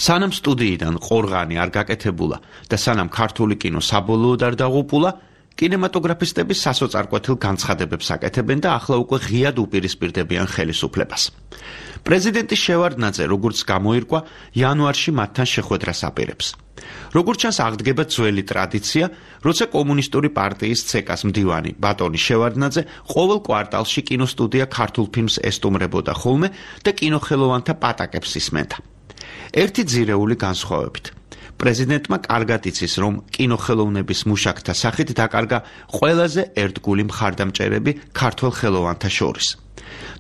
სანამ სტუდიიდან ყორღანი არ გაკეთებულა და სანამ ქართული კინო საბოლოოდ არ დაღუპულა, კინემატოგრაფისტები სასოწარკვეთილ განცხადებებს აკეთებენ და ახლა უკვე ღიად უპირისპირდებიან ხელისუფლებას. პრეზიდენტი შევარდნაძე, როგორც გამოირკვა, იანვარში მათთან შეხვედრას აპირებს. როგორც ჩანს, აღდგება ძველი ტრადიცია, როცა კომუნისტური პარტიის ცეკას მდივანი ბატონი შევარდნაძე ყოველ კვარტალში კინოსტუდია ქართულ ფილმს ესტუმრებოდა ხოლმე და კინოხელოვანთა პატაკებს ისმენდა. ერთი ძირეული განსხვავებით. პრეზიდენტმა კარგად იცის, რომ კინოხელოვნების მუშაკთა სახით დაკარგა ყველაზე ერთგული მხარდამჭერები ქართველ ხელოვანთა შორის.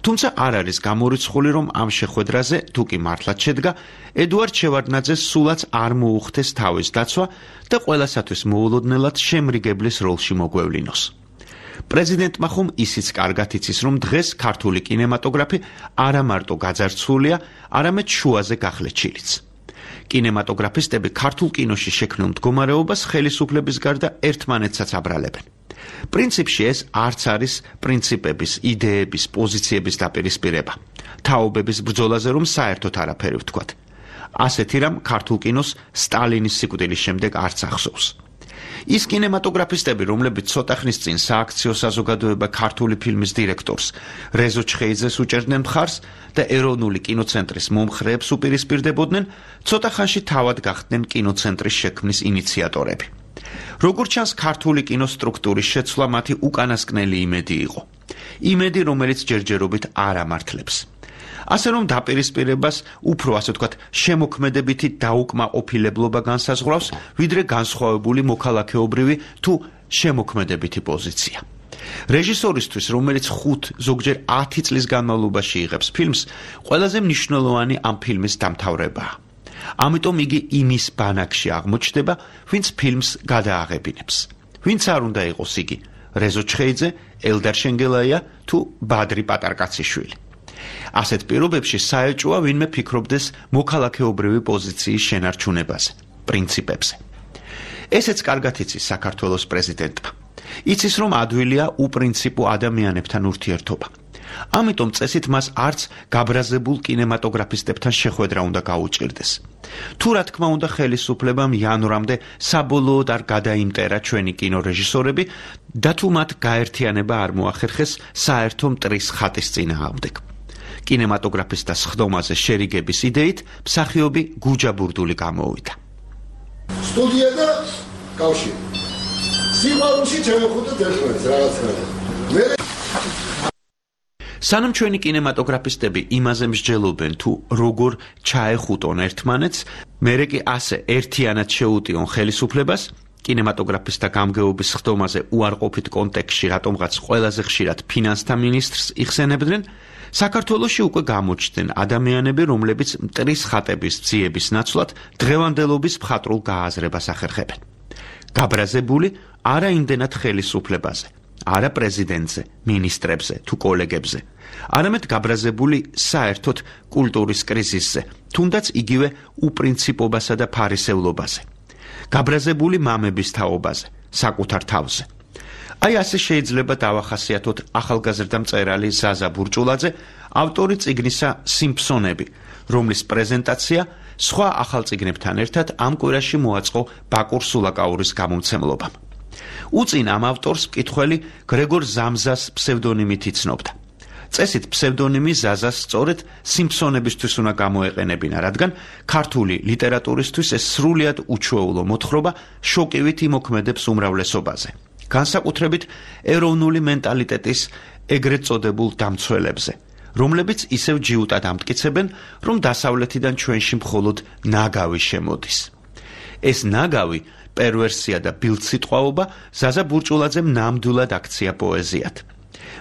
თუმცა არ არის გამორიცხული, რომ ამ შეხვედრაზე, თუ კი მართლაც შედგა, ედუარდ შევარდნაძეს სულაც არ მოუხდეს თავის დაცვა და ყველასათვის მოულოდნელად შემრიგებლის როლში მოგვევლინოს. პრეზიდენტმა ხომ ისიც კარგად იცის, რომ დღეს ქართული კინემატოგრაფი არა მარტო გაძარცვულია, არამედ შუაზე გახლეჩილიც. კინემატოგრაფისტები ქართულ კინოში შექმნილ მდგომარეობას ხელისუფლების გარდა ერთმანეთსაც აბრალებენ. პრინციპში ეს არც არის პრინციპების, იდეების, პოზიციების დაპირისპირება. თაობების ბრძოლაზე რომ საერთოდ არაფერი ვთქვათ. ასეთი რამ ქართულ კინოს სტალინის სიკვდილის შემდეგ არც ახსოვს. ის კინემატოგრაფისტები, რომლებიც ცოტა ხნის წინ სააქციო საზოგადოება ქართული ფილმის დირექტორს რეზო ჩხეიძეს უჭერდნენ მხარს და ეროვნული კინოცენტრის მომხრეებს უპირისპირდებოდნენ, ცოტა ხანში თავად გახდნენ კინოცენტრის შექმნის ინიციატორები. როგორც ჩანს, ქართული კინოს სტრუქტურის შეცვლა მათი უკანასკნელი იმედი იყო. იმედი, რომელიც ჯერჯერობით არ ამართლებს. ასე რომ დაპირისპირებას უფრო, ასე ვთქვათ, შემოქმედებითი დაუკმაყოფილებლობა განსაზღვრავს, ვიდრე განსხვავებული მოქალაქეობრივი თუ შემოქმედებითი პოზიცია. რეჟისორისთვის, რომელიც ხუთ, ზოგჯერ ათი წლის განმავლობაში იღებს ფილმს, ყველაზე მნიშვნელოვანი ამ ფილმის დამთავრებაა. ამიტომ იგი იმის ბანაკში აღმოჩნდება, ვინც ფილმს გადააღებინებს. ვინც არ უნდა იყოს იგი, რეზო ჩხეიძე, ელდარ შენგელაია თუ ბადრი პატარკაციშვილი. ასეთ პირობებში საეჭვოა ვინმე ფიქრობდეს მოქალაქეობრივი პოზიციის შენარჩუნებაზე, პრინციპებზე. ესეც კარგად იცის საქართველოს პრეზიდენტმა. იცის, რომ ადვილია უპრინციპო ადამიანებთან ურთიერთობა. ამიტომ წესით მას არც გაბრაზებულ კინემატოგრაფისტებთან შეხვედრა უნდა გაუჭირდეს. თუ რა თქმა უნდა ხელისუფლებამ იანვრამდე საბოლოოდ არ გადაიმტერა ჩვენი კინორეჟისორები და თუ მათ გაერთიანება არ მოახერხეს საერთო მტრის ხატის წინააღმდეგ. კინემატოგრაფისტთა სხდომაზე შერიგების იდეით მსახიობი გუჯა ბურდული გამოვიდა. სტუდია და კავშირი. სიყვარულში ჩამოხვდეთ ერთმანეთს რაღაცნაირად. მე სანამ ჩვენი კინემატოგრაფისტები იმაზე მსჯელობენ თუ როგორ ჩაეხუტონ ერთმანეთს, მერე კი ასე ერთიანად შეუტიონ ხელისუფლებას, კინემატოგრაფისტთა გამგეობის სხდომაზე უარყოფით კონტექსტში რატომღაც ყველაზე ხშირად ფინანსთა მინისტრს იხსენებდნენ, საქართველოში უკვე გამოჩნდნენ ადამიანები, რომლებიც მტრის ხატების ძიების ნაცვლად დღევანდელობის მხატვრულ გააზრებას ახერხებენ. გაბრაზებული არა იმდენად ხელისუფლებაზე, არა პრეზიდენტზე, მინისტრებზე თუ კოლეგებზე, არამედ გაბრაზებული საერთოდ კულტურის კრიზისზე, თუნდაც იგივე უპრინციპობასა და ფარისევლობაზე. გაბრაზებული მამების თაობაზე, საკუთარ თავზე. აი ასე შეიძლება დავახასიათოთ ახალგაზრდა მწერალი ზაზა ბურჭულაძე, ავტორი წიგნისა სიმფსონები, რომლის პრეზენტაცია სხვა ახალ წიგნებთან ერთად ამ კვირაში მოაწყო ბაკურ სულაკაურის გამომცემლობამ. უწინ ამ ავტორს მკითხველი გრეგორ ზამზას ფსევდონიმით იცნობდა. წესით ფსევდონიმი ზაზას სწორედ სიმფსონებისთვის უნდა გამოეყენებინა, რადგან ქართული ლიტერატურისთვის ეს სრულიად უჩვეულო მოთხრობა შოკივით იმოქმედებს უმრავლესობაზე. განსაკუთრებით ეროვნული მენტალიტეტის ეგრეთ წოდებულ დამცველებზე, რომლებიც ისევ ჯიუტად ამტკიცებენ, რომ დასავლეთიდან ჩვენში მხოლოდ ნაგავი შემოდის. ეს ნაგავი, პერვერსია და ბილდსიტყვაობა ზაზა ბურჭულაძემ ნამდვილად აქცია პოეზიად.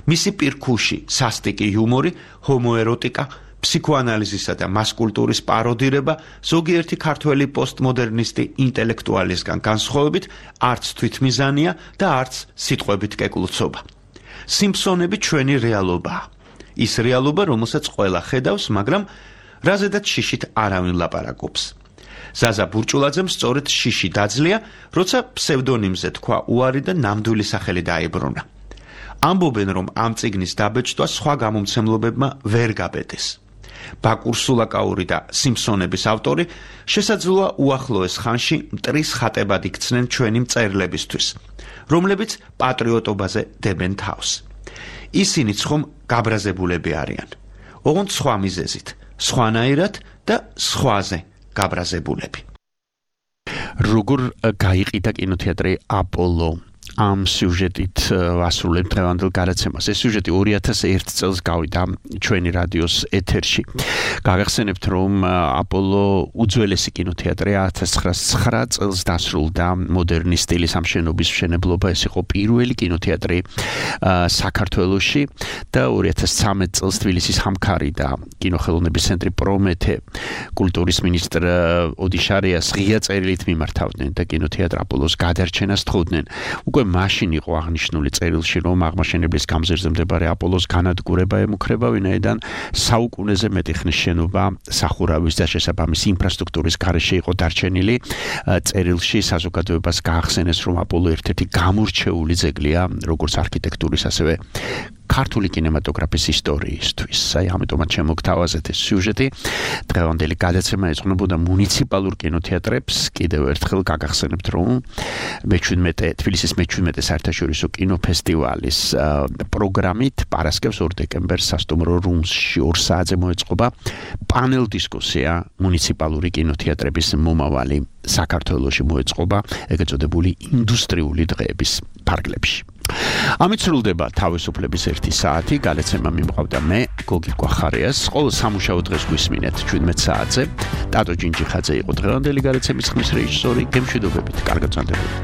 მისი პირქუში, სასტიკი იუმორი, ჰომოეროტიკა, ფსიქოანალიზისა და მასკულტურის პაროდირება ზოგიერთი ქართველი პოსტმოდერნისტი ინტელექტუალისგან განსხვავებით არც თვითმიზანია და არც სიტყვებით კეკლუცობა. სიმფსონები ჩვენი რეალობაა. ის რეალობა, რომელსაც ყველა ხედავს, მაგრამ რაზედაც შიშით არავინ ლაპარაკობს. ზაზა ბურჭულაძემ სწორედ შიში დაძლია, როცა ფსევდონიმზე თქვა უარი და ნამდვილი სახელი დაებრუნა. ამბობენ, რომ ამ წიგნის დაბეჭდვა სხვა გამომცემლობებმა ვერ გაბედეს. ბაკურ სულაკაური და სიმფსონების ავტორი შესაძლოა უახლოეს ხანში მტრის ხატებად იქცნენ ჩვენი მწერლებისთვის, რომლებიც პატრიოტობაზე დებენ თავს. ისინიც ხომ გაბრაზებულები არიან, ოღონდ სხვა მიზეზით, სხვანაირად და სხვაზე გაბრაზებულები. როგორ გაიყიდა კინოთეატრი აპოლო ამ სიუჟეტით ვასრულებთ დღევანდელ გადაცემას. ეს სიუჟეტი ორი ათას ერთ წელს გავიდა ჩვენი რადიოს ეთერში. გაგახსენებთ, რომ აპოლო უძველესი კინოთეატრია ათას ცხრაასი ცხრა წელს დასრულდა მოდერნის სტილის ამ შენობის მშენებლობა. ეს იყო პირველი კინოთეატრი საქართველოში და ორი ათას ცხრამეტ წელს თბილისის ხამქარი და კინოხელოვნების ცენტრი პრომეთე კულტურის მინისტრ ოდიშარიას ღია წერილით მიმართავდნენ და კინოთეატრ აპოლოს გადარჩენას თხოვდნენ. უკვე მაშინ იყო აღნიშნული წერილში, რომ აღმაშენებლის გამზირზე მდებარე აპოლოს განადგურება ემუქრება, ვინაიდან საუკუნეზე მეტი ხნის შენობა სახურავის და შესაბამისი ინფრასტრუქტურის გარეშე იყო დარჩენილი. წერილში საზოგადოებას გაახსენეს, რომ აპოლო ერთ-ერთი გამორჩეული ძეგლია, როგორც არქიტექტურის, ასევე ქართული კინემატოგრაფის ისტორიისთვის. აი, ამიტომაც შემოგთავაზეთ ეს სიუჟეტი. დღევანდელი გადაცემა ეძღვნებოდა მუნიციპალურ კინოთეატრებს. კიდევ ერთხელ გაგახსენებთ, რომ მეჩვიდმეტე თბილისის მეჩვიდმეტე საერთაშორისო კინოფესტივალის პროგრამით პარასკევს ორ დეკემბერს სასტუმრო რუმსში ორ საათზე მოეწყობა პანელ დისკუსია მუნიციპალური კინოთეატრების მომავალი საქართველოში მოეწყობა ეგრეთ წოდებული ინდუსტრიული დღეების ფარგლებში. ამით სრულდება თავისუფლების ერთი საათი, გადაცემა მიმყავდა მე, გოგი კვახარიას. ყოველ სამუშაო დღეს გვისმინეთ ჩვიდმეტ საათზე. ტატო ჯინჯიხაძე იყო დღევანდელი გადაცემის ხმის რეჟისორი. გემშვიდობებით, კარგად წამდებოდეთ.